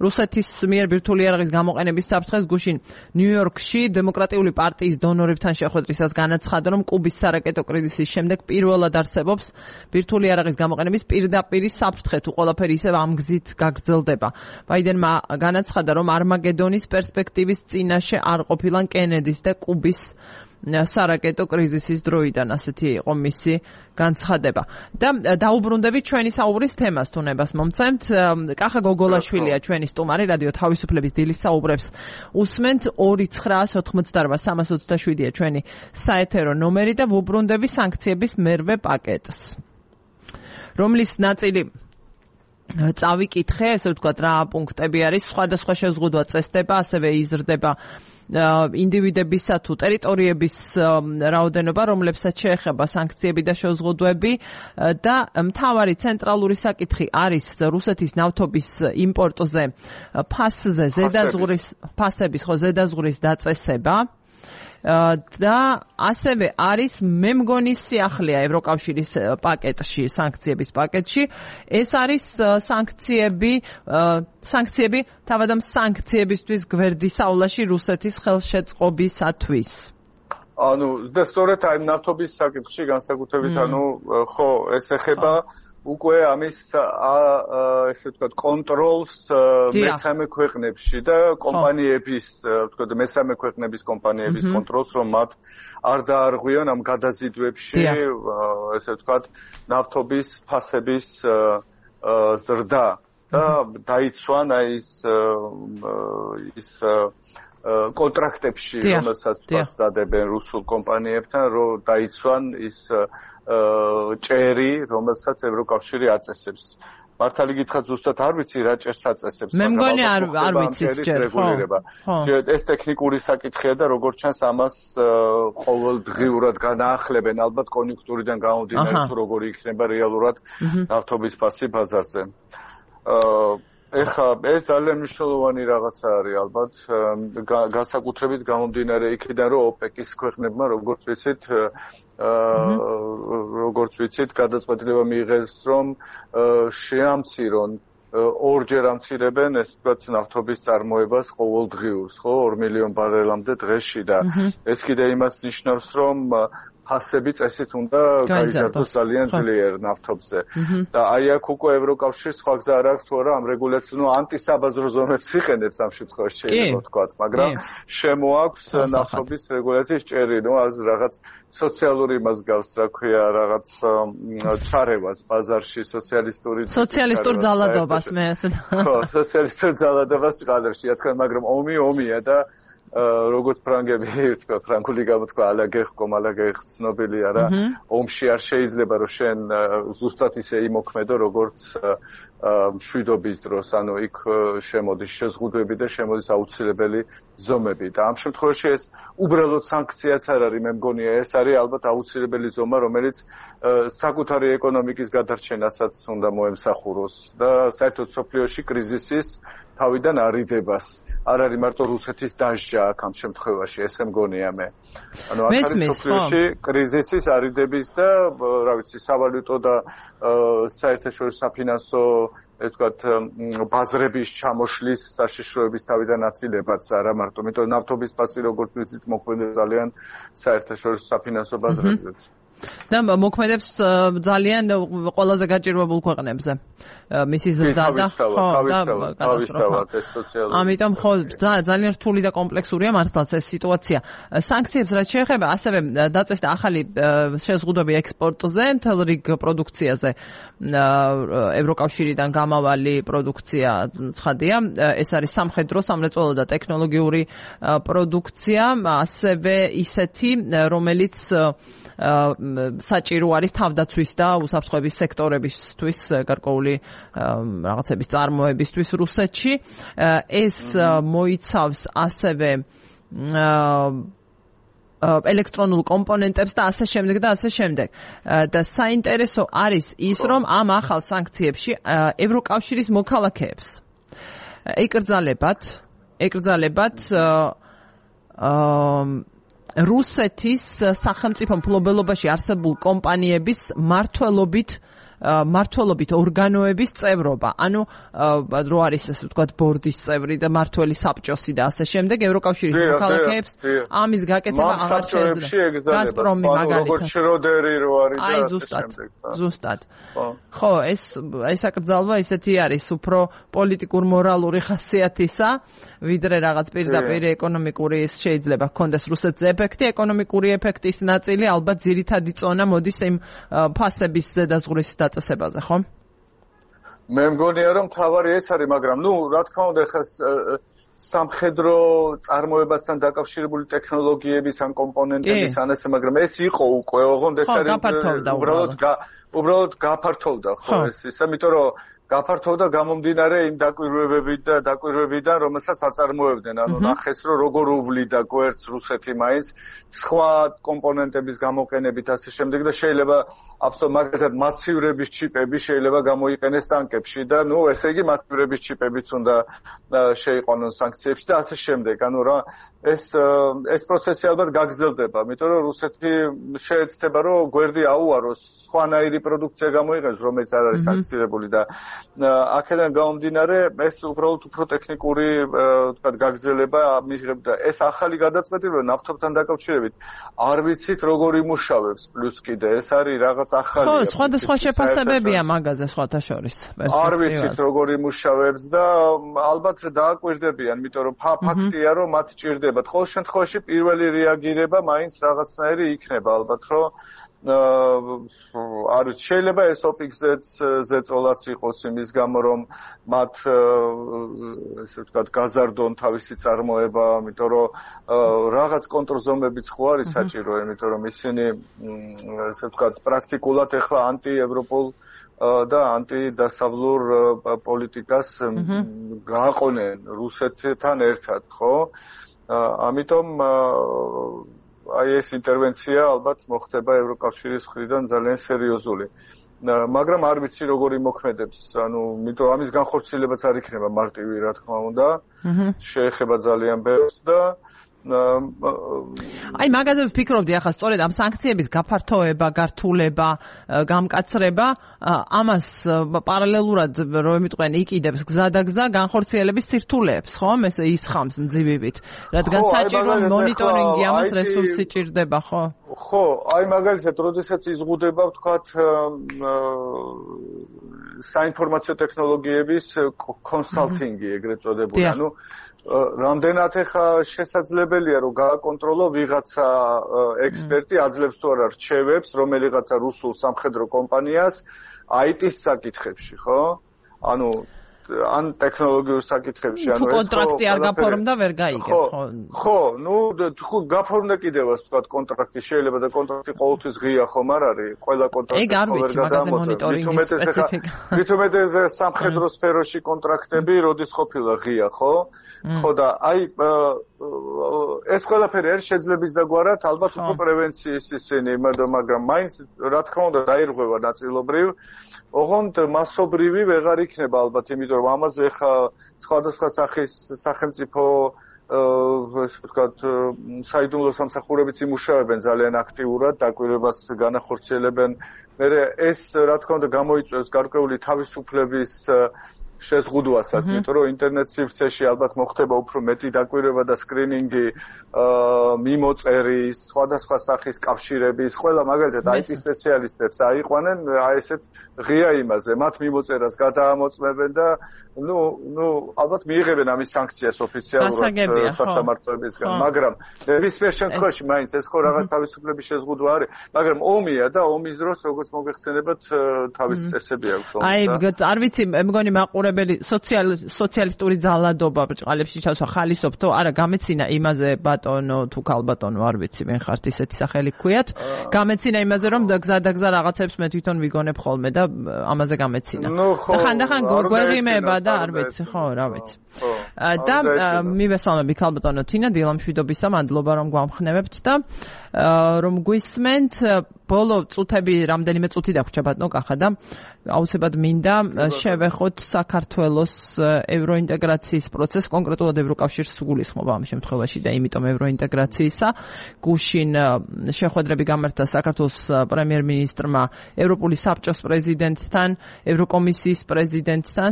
რუსეთის მიერ ბირთვული იარაღის გამოყენების საფრთხეს გუშინ ნიუ-იორკში დემოკრატიული პარტიის დონორებთან შეხვედრისას განაცხადა, რომ კუბის სარაკეტო კრიზისის შემდეგ პირველად არსებობს ბირთვული იარაღის გამოყენების პირდაპირი საფრთხე, თუ ყველაფერი ისევ ამ გზით გაგრძელდება. ბაიდენმა განაცხადა, რომ არმაგედონის პერსპექტივის წინაშე არ ყოფილან კენედის და კუბის სარაკეტო კრიზისის დროიდან ასეთი იყო მისი განცხადება. და დაუბრუნდებით ჩვენი საუბრის თემას თუ ნებას მომცემთ. კახა გოგოლაშვილია ჩვენი სტუმარი რადიო თავისუფლების დილის საუბრებს უსმენთ 2988327-ია ჩვენი საეთერო ნომერი და ვუბრუნდები სანქციების მერვე პაკეტს. რომლის ნაწილი წავიკითხე, ესე ვთქვათ, რა პუნქტები არის, სხვადასხვა შეზღუდვა წესდება, ასევე იზრდება ინდივიდებისა თუ ტერიტორიების რაოდენობა, რომლებსაც შეეხება სანქციები და შეზღუდვები და მთავარი ცენტრალური საკითხი არის რუსეთის ნავთობის იმპორტზე ფასზე ზედაზღურის დაწესება. და ასევე არის მე მგონი სიახლეა ევროკავშირის პაკეტში, სანქციების პაკეტში. ეს არის სანქციები თავად ამ სანქციებისთვის გვერდის აულაში რუსეთის ხელშეწყობისათვის. ანუ და სწორედ აი ნავთობის საკითხში განსაკუთრებით ანუ ხო ეს ეხება უკვე ამის ესე ვთქვათ კონტროლს მესამე ქვეყნებში და კომპანიების ვთქვათ მესამე ქვეყნების კომპანიების კონტროლს რომ მათ არ დაარღვიონ ამ გადაზიდვებში ესე ვთქვათ ნავთობის ფასების ზრდა და დაიცვან აი ის კონტრაქტებში რომელსაც დადებენ რუსულ კომპანიებთან რომ დაიცვან ის ჭერი, რომელსაც ევროკავშირი აწესებს. მართალი გითხრათ ზუსტად არ ვიცი რა ჭერს აწესებს. მე მგონი არ ვიცით ჯერ, ხო. ეს ტექნიკური საკითხია და როგორც ჩანს ამას ყოველდღიურად განაახლებენ ალბათ კონjunktურიდან გამომდინარე თუ როგორი იქნება რეალურად ნავთობის ფასი ბაზარზე. ეხლა ეს ძალიან მნიშვნელოვანი რაღაცა არის ალბათ განსაკუთრებით გამომდინარე იქიდან რომ ოპეკის ქვეყნებმა როგორც ვიცით გადაწყვეტილება მიიღეს რომ შეამცირონ ორჯერ ამცირებენ ეს ვთქვათ ნავთობის წარმოებას ყოველდღიურს ხო 2 მილიონ ბარელამდე დღეში და ეს კიდე იმას ნიშნავს რომ ფასები წესით უნდა გაიზარდოს ძალიან ძლიერ ნავთობზე. და აი აქ უკვე ევროკავშირს სხვა გზა არ აქვს თუ არა ამ რეგულაციას, ანტისაბაზრო ზომებს იყენებს ამ შემთხვევაში შეიძლება ვთქვათ, მაგრამ შემოაქვს ნავთობის რეგულაციის ჭერი, რაღაც სოციალური იმას გავს, რა ქვია, რაღაც ჩარევას ბაზარში სოციალისტურ ძალადობას მე ასე. ხო, სოციალისტურ ძალადობას ყალებში, რა თქმა უნდა, მაგრამ ომია და როგორც ფრანგები ვთქვა, ფრანგული გამოთქვა ალაგეხ ცნობილია რა, ომში არ შეიძლება რომ შენ ზუსტად ისე იმოქმედო, როგორც მშვიდობის დროს, ანუ იქ შემოდის შეზღუდვები და შემოდის აუცილებელი ზომები და ამ შემთხვევაში ეს უბრალოდ სანქციაც არ არის, მე მგონია ეს არის ალბათ აუცილებელი ზომა, რომელიც საკუთარი ეკონომიკის გადარჩენასაც უნდა მოემსახუროს და საერთოდ სოფლიოში კრიზისის თავიდან არიდებას. არ არის მარტო რუსეთის დასჯა აქ ამ შემთხვევაში, ესე მგონია მე. ანუ აქ არის სოფლიოში კრიზისის არიდების და, რა ვიცი, სავალუტო და საერთაშორისო საფინანსო, ეს ვთქვათ, ბაზრების ჩამოშლის საშიშროების თავიდან აცილებაც არა მარტო, იმიტომ ნავთობის ფასი როგორც ვიცით მოქმედებს ძალიან საერთაშორისო საფინანსო ბაზრებზეც. და მოქმედებს ძალიან ყველაზე გაჭირვებულ ქვეყნებზე. მისი ზრდა და თავისთავად ეს სოციალური. ამიტომ ხო ძალიან რთული და კომპლექსურია მართლაც ეს სიტუაცია. სანქციებს რაც შეეხება, ასევე დაწესდა ახალი შეზღუდვები ექსპორტზე, მთელ რიგ პროდუქციაზე. ევროკავშირიდან გამავალი პროდუქცია ცხადია. ეს არის სამხედრო, სამრეწველო და ტექნოლოგიური პროდუქცია, ასევე ისეთი, რომელიც საჭირო არის თავდაცვის და უსაფრთხოების სექტორებისთვის გარკვეული რაღაცების წარმოებისთვის რუსეთში. ეს მოიცავს ასევე ელექტრონულ კომპონენტებს და ასე შემდეგ და ასე შემდეგ. და საინტერესო არის ის, რომ ამ ახალ სანქციებში ევროკავშირის მოქალაქეებს ეკრძალებათ რუსეთის სახელმწიფო მფლობელობაში არსებულ კომპანიების მმართველობით ორგანოების წევრობა. ანუ რო არის ასე ვთქვათ ბორდის წევრი და მმართველი საბჭოსი და ასე შემდეგ, ევროკავშირის მოქალაქეებს ამის გაკეთება აღარ შეეძლება. გაზპრომი მაგალითად. როგორც შროდერი რო არის და ასე შემდეგ. ზუსტად. ხო, ეს აკრძალვა ისეთი არის, უფრო პოლიტიკურ-მორალური ხასიათისა, ვიდრე რაღაც პირდაპირ ეკონომიკური შეიძლება ჰქონდეს რუსეთზე ეფექტი, ეკონომიკური ეფექტის ნაწილი ალბათ ძირითადი წონა მოდის იმ ფასების ზედაზღვრის დაწესებაზე, ხო? მე მგონია რომ თავარი ეს არის, მაგრამ რა თქმა უნდა ხა სამხედრო წარმოებასთან დაკავშირებული ტექნოლოგიების ან კომპონენტების ან ესე, მაგრამ ეს იყო უკვე, ოღონდ ეს არის უბრალოდ გაფართოვდა, ხო, ეს ისა, იმიტომ რომ გაფართოვდა გამომდინარე იმ დაკვირვებებიდან, რომელსაც აწარმოებდნენ, ანუ ნახეს რომ როგორ უვლიდა გვერდს რუსეთი მაინც სხვა კომპონენტების გამოყენებით ასე შემდეგ და შეიძლება მაგალითად მაცივრების ჩიპები შეიძლება გამოიყენეს ტანკებში და ესე იგი მაცივრების ჩიპებიც უნდა შეიყვანონ სანქციებში და ასე შემდეგ. ანუ რა ეს პროცესი ალბათ გაგრძელდება, იმიტომ რომ რუსეთი შეეცდება რომ გვერდი აუაროს, სხვანაირი პროდუქცია გამოიყენოს, რომელიც არ არის სანქცირებული და აქედან გამომდინარე ეს უბრალოდ უფრო ტექნიკური ვთქვათ გაგრძელება მიიღებდა. ეს ახალი გადაწყვეტილება ნავთობთან დაკავშირებით არ ვიცით როგორ იმუშავებს, პლუს კიდე ეს არის რაღაც ახალი. ხო, სხვადასხვა შეფასებებია მაგაზე სხვათა შორის. არ ვიცით როგორ იმუშავებს და ალბათ დააკვირდებიან, იმიტომ რომ ფაქტია რომ მათ ჭირდება. ყოველ შემთხვევაში პირველი რეაგირება მაინც რაღაცნაირი იქნება ალბათ, რომ არ შეიძლება ეს ოპიქზეც ზეწოლაც იყოს იმის გამო რომ მათ ესე ვთქვათ გაზარდონ თავისი წარმოება, იმიტომ რომ რაღაც კონტრზომებიც ხო არის საჭირო, იმიტომ რომ ისინი ესე ვთქვათ პრაქტიკულად ეხლა ანტიევროპულ და ანტიდასავლურ პოლიტიკას გააყონენ რუსეთთან ერთად, ხო? ამიტომ აი ეს ინტერვენცია ალბათ მოხდება ევროკავშირის მხრიდან ძალიან სერიოზული. მაგრამ არ ვიცი როგორ იმოქმედებს, ანუ იმიტომ ამის განხორციელებაც არ იქნება მარტივი, რა თქმა უნდა. შეეხება ძალიან ბევრს და აი მაგაზე ვფიქრობდი ახლა სწორედ ამ სანქციების გაფართოება, გართულება, გამკაცრება, ამას პარალელურად რომ მიტყვენ იყიდებს გზადაგზა განხორციელების სირთულეებს, ხომ? ეს ისხამს მძივებით. რადგან საჭირო მონიტორინგი ამას რესურსი ჭირდება, ხო? ხო, აი მაგალითად, როდესაც იზღუდება, ვთქვათ, საინფორმაციო ტექნოლოგიების კონსალტინგი, ეგრეთ წოდებული, ანუ რამდენად ახლა შესაძლებელია რომ გააკონტროლო ვიღაცა ექსპერტი აძლევს თუ არა რჩევებს რომელიღაცა რუსულ სამხედრო კომპანიას IT-ის საკითხებში, ხო? ანუ ან ტექნოლოგიურ საკითხებში, ანუ ეს კონტრაქტი არ გაფორმდა ვერ გაიგებ, ხო? ხო, ნუ თუ გაფორმდა კიდევაც ვთქვათ კონტრაქტი შეიძლება და კონტრაქტი ყოველთვის ღია ხომ არ არის? ყველა კონტრაქტი ვერ გადამოწევს. მithumetes სამხედრო სფეროში კონტრაქტები როდის ყოფილა ღია, ხო? ხო და აი ეს ყველაფერი არის შეძლების დაგვარად, ალბათ უფრო პრევენციის ისინი, მაგრამ მაინც რა თქმა უნდა დაირღვევა ნაწილობრივ ოღონდ მასობრივი ვეღარ იქნება ალბათ, იმიტომ რომ ამაზე ხა სხვადასხვა სახის სახელმწიფო ესე ვთქვათ საიდუმლო სამსახურებიც იმუშავებენ ძალიან აქტიურად, დაკვირვებას განახორციელებენ. მე ეს რა თქმა უნდა გამოიწვევს გარკვეული თავისუფლების შეზღუდვასაც, იმიტომ რომ ინტერნეტ სივრცეში ალბათ მოხდება უფრო მეტი დაკვირვება და სკრინინგი მიმოწერის, სხვადასხვა სახის კავშირების, ყველა მაგალითად IT სპეციალისტებს აიყვანენ აი ესეთ ღია იმაზე, მათ მიმოწერას გადაამოწმებენ და ალბათ მიიღებენ ამის სანქციას ოფიციალურად სასამართლოებისგან, მაგრამ ნებისმიერ შემთხვევაში მაინც ეს ხო რაღაც თავისუფლების შეზღუდვა არის, მაგრამ ომია და ომის დროს როგორც მოგეხსენებათ თავის წესები აქვს ომს. აი, არ ვიცი, მეგონი მაყურებელი სოციალისტური ძალადობა ბრჭყალებში ჩასვა ხალისობ თუ არა გამეცინა იმაზე ბატონო თუ ქალბატონო არ ვიცი მე ხართ ისეთი სახელი გქვიათ გამეცინა იმაზე რომ გზადაგზა რაღაცებს მე თვითონ ვიგონებ ხოლმე და ამაზე გამეცინა და ხანდახან გვეღიმება და არ ვიცი ხო რა ვიცი და მივესალმები ქალბატონო თინა დილამშვიდობისა მადლობა რომ გვამხნევებთ და რომ გვისმენთ ბოლო წუთები რამდენიმე წუთი დაგვრჩა ბატონო კახა და აუცილებლად მინდა შევეხოთ საქართველოს ევროინტეგრაციის პროცესს, კონკრეტულად ევროკავშირს სულისხმობა ამ შემთხვევაში და იმიტომ ევროინტეგრაციისა გუშინ შეხვედრები გამართა საქართველოს პრემიერ-მინისტრმა ევროპული საბჭოს პრეზიდენტთან, ევროკომისიის პრეზიდენტთან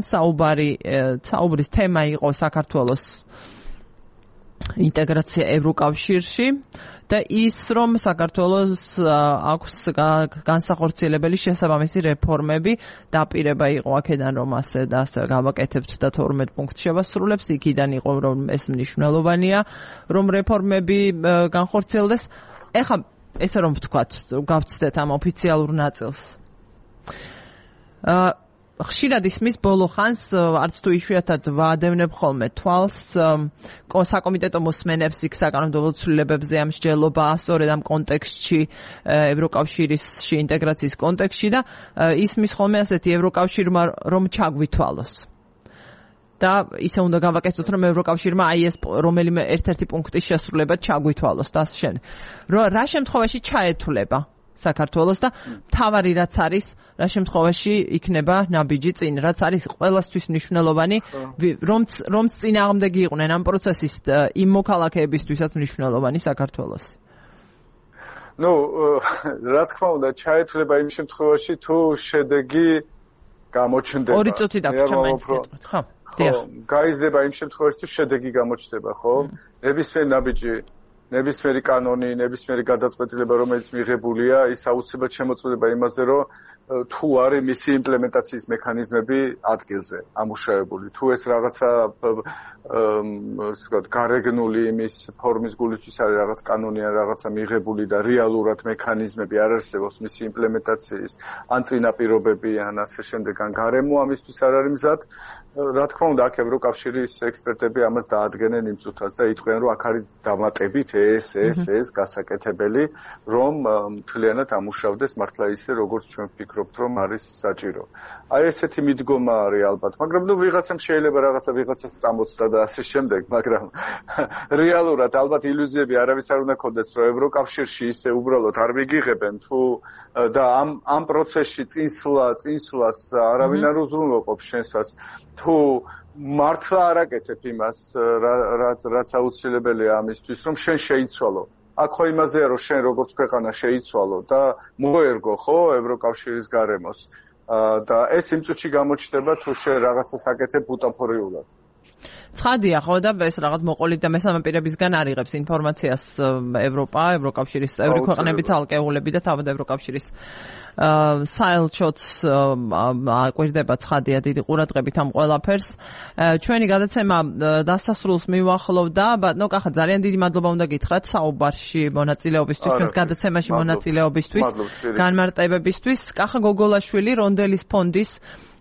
საუბრის თემა იყო საქართველოს ინტეგრაცია ევროკავშირში. და ის რომ საქართველოს აქვს განსახორციელებელი შესაბამისი რეფორმები დაპირება იყო აქედან რომ ასე და ასე გავაკეთებთ და 12 პუნქტს შევასრულებს იქიდან იყო რომ ეს მნიშვნელოვანია რომ რეფორმები განხორციელდეს ეხლა ესე რომ ვთქვათ გავცდეთ ამ ოფიციალურ ნაწილს ხშირად ისმის ბოლო ხანს არც თუ იშვიათად ვაადევნებ ხოლმე თვალს საკომიტეტო მოსმენებს იქ საკანონმდებლო ცვლილებებზე ამ მსჯელობა სწორედ ამ კონტექსტში ევროკავშირში ინტეგრაციის კონტექსტში და ისმის ხოლმე ასეთი ევროკავშირმა რომ ჩაგვითვალოს და ისე უნდა გავაკეთოთ რომ ევროკავშირმა აი ეს რომელიმე ერთ-ერთი პუნქტის შესრულება ჩაგვითვალოს და შენ რა შემთხვევაში ჩაეთვლება საქართველოს და მთავარი რაც არის რა შემთხვევაში იქნება ნაბიჯი წინ რაც არის ყველასთვის მნიშვნელოვანი რომ წინააღმდეგი იყვნენ ამ პროცესის იმ მოქალაქეებისთვისაც მნიშვნელოვანი საქართველოს რა თქმა უნდა ჩაეთვლება იმ შემთხვევაში თუ შედეგი გამოჩნდება 2 წუთი დაგვრჩა მაინც გეტყვით ხო გაიზრდება იმ შემთხვევაში თუ შედეგი გამოჩნდება ხო ნებისმიერ ნაბიჯი ნებისმიერი კანონი, ნებისმიერი გადაწყვეტილება, რომელიც მიღებულია, ის აუცილებლად შემოწმდება იმაზე, რომ თუ არის მისი იმპლემენტაციის მექანიზმები ადგილზე ამუშავებული. თუ ეს რაღაცა გარეგნული იმის ფორმის გულისთვის არის რაღაც კანონი ან რაღაცა მიღებული და რეალურად მექანიზმები არ არსებობს მისი იმპლემენტაციის, ან წინაპირობები, ან ასე შემდეგ, ან გარემო ამისთვის არ არის მზად. რა თქმა უნდა, აქ ევროკავშირის ექსპერტები ამას დაადგენენ იმ წუთას და იტყვიან, რომ აქ არის დამატებით ეს გასაკეთებელი, რომ მთლიანად ამუშავდეს მართლა ისე, როგორც ჩვენ ვფიქრობთ, რომ არის საჭირო. აი ესეთი მიდგომა არის ალბათ, მაგრამ ვიღაცამ შეიძლება ვიღაცას წამოწდა და ასე შემდეგ, მაგრამ რეალურად ალბათ ილუზიები არავის არ უნდა ქონდეს, რომ ევროკავშირში ისე უბრალოდ არ მიგიღებენ თუ და ამ პროცესში წინსვლას არავინ არ უზრუნველყოფს შენსას თუ მართლა არ აკეთებ იმას, რაც აუცილებელია ამისთვის, რომ შენ შეიცვალო. აქ ხო იმაზეა, რომ შენ როგორც ქვეყანა შეიცვალო და მოერგო ხო ევროკავშირის გარემოს. და ეს იმ წუთში გამოჩნდება თუ შენ რაღაცას აკეთებ ბუტაფორიულად. ცხადია ხო და ეს რაღაც მოყოლით და მესამე პირებისგან არიღებს ინფორმაციას ევროპა, ევროკავშირის წევრი ქვეყნები, ცალკეულები და თავად ევროკავშირის საელჩოც აკვირდება ცხადია დიდი ყურადღებით ამ ყველაფერს. ჩვენი გადაცემა დასასრულს მივახლოვდა, ბატონო კახა ძალიან დიდი მადლობა უნდა გითხრათ საუბარში მონაწილეობისთვის, ჩვენს გადაცემაში მონაწილეობისთვის, განმარტებებისთვის. კახა გოგოლაშვილი რონდელის ფონდის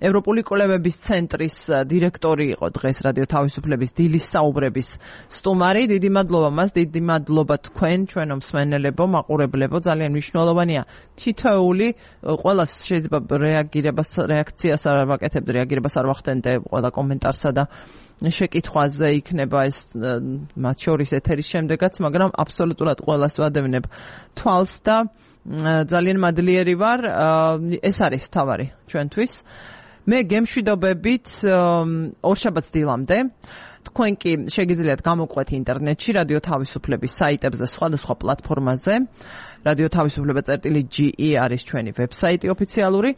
ევროპული კვლევების ცენტრის დირექტორი იყო დღეს რადიო თავისუფლების დილის საუბრების სტუმარი. დიდი მადლობა მას, დიდი მადლობა თქვენ, ჩვენო მსმენელებო, მაყურებლებო, ძალიან მნიშვნელოვანია თითოეული ყველას შეიძლება რეაქციას არ ვაკეთებ, რეაგირებას არ ვახდენდე ყველა კომენტარსა და შეკითხვაზე იქნება ეს მათ შორის ეთერის შემდეგაც, მაგრამ აბსოლუტურად ყველას ვადევნებ თვალს და ძალიან მადლიერი ვარ. ეს არის თავარი ჩვენთვის. მე გემშვიდობებით ორშაბათს დილამდე. თქვენ კი შეგიძლიათ გამოყვეთ ინტერნეტში რადიო თავისუფლების საიტებზე, სხვადასხვა პლატფორმაზე. რადიო თავისუფლება.ge არის ჩვენი ვებსაიტი ოფიციალური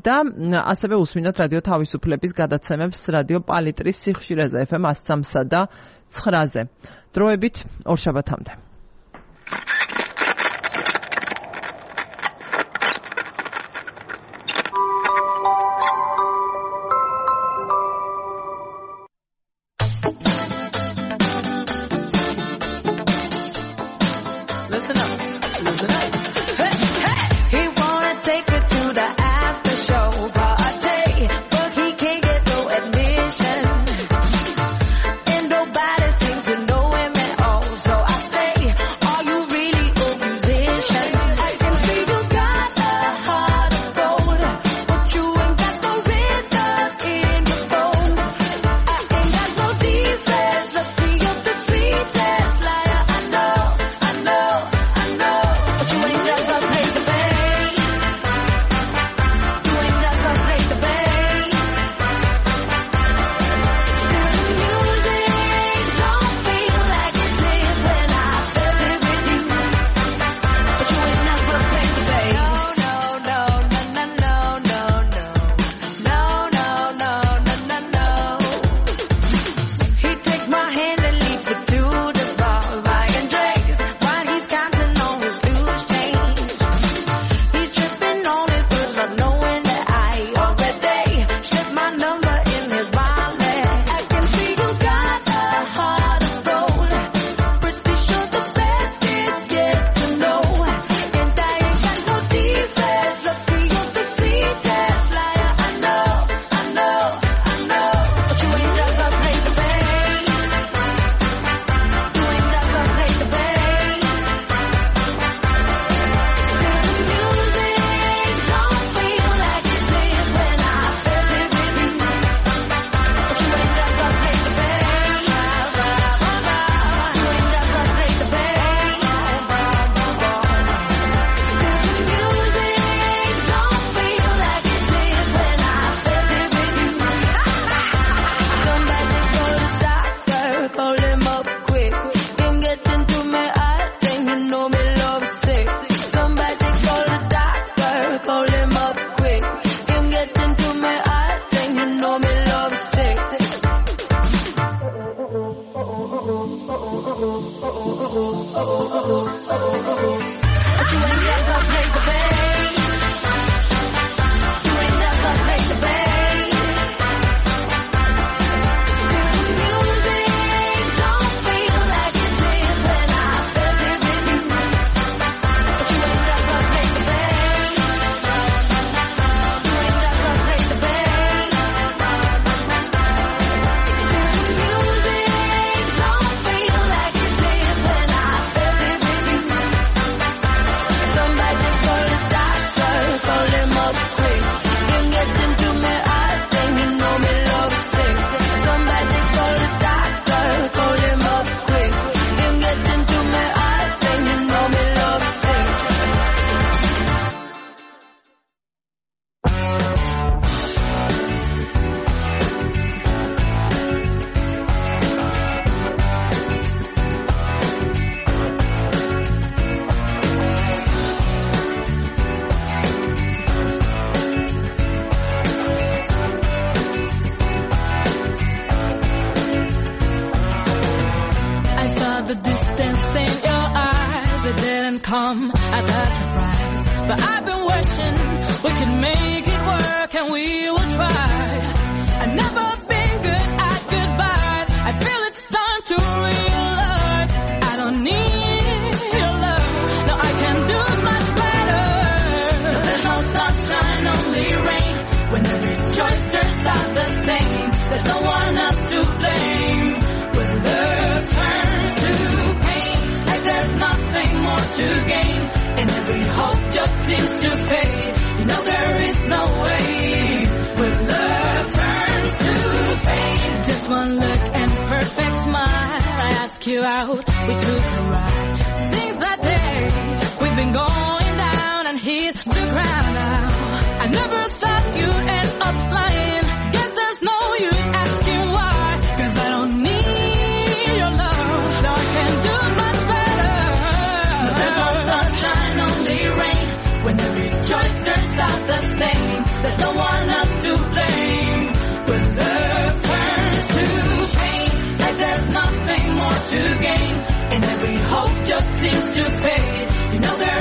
და ასევე უსმინოთ რადიო თავისუფლების გადაცემებს რადიო პალიტრის სიხშირეზე FM 103-სა და 9-ზე. დროებით ორშაბათამდე. Listen up. Hey, hey. He wanna take her to the after show party, but he can't get no admission. And nobody seems to know him at all. So I say, are you really a musician? I can see you got a heart of gold, but you ain't got no rhythm in your bones. I ain't got no defense, lucky you're the sweetest liar I know. But you ain't never played the bass. You ain't never played the bass. Still the music don't feel like it did when I felt it with you. But you ain't never played the bass. No. He takes my hand and leads me to the bar, buying drinks while he's counting on his loose change. He's tripping on his words, not knowing that I already slipped my number in his wallet. I can see you got a heart of gold. Pretty sure the best is yet to know. And I ain't got no defense. Lucky you're the sweetest liar I know. But you ain't never played the bass. You ain't never played the bass. Still the music don't feel like it did when I felt it with you. But you ain't never played the bass. You ain't never played the bass. Still the music don't feel like it did when I felt it with you. Somebody call the doctor, call him up quick. Can't get into me, I think you know me love sick. Somebody call the doctor, call him up quick. Can't get into me, I think you know me love sick. But you ain't never played the bass. You ain't never played the bass. Still the music don't feel like it did when I felt it with you. But you ain't never played the bass. You ain't never played the bass. Still the music don't feel like it did when I felt it with you. Somebody call the doctor. I saw the distance in your eyes. It didn't come as a surprise, but I've been wishing we could make it work, and we will try. I've never been good at goodbyes. I feel it's time to realize I don't need your love. No, I can do much better. No, there's no sunshine, only rain. When every choice turns out the same, there's no one else to blame. When love turns to pain, like there's nothing more to gain, and every hope just seems to fade. You know there is no way. When love turns to pain, just one look and perfect smile. I ask you out, we took a ride. Since that day, we've been going down and hit the ground now. I never thought you'd end up lying. Guess there's no use asking why, 'cause I don't need your love. No, I can do much better. No, there's no sunshine, only rain. When every choice turns out the same, there's no one else to blame. When love turns to pain, like there's nothing more to gain, and every hope just seems to fade. You know there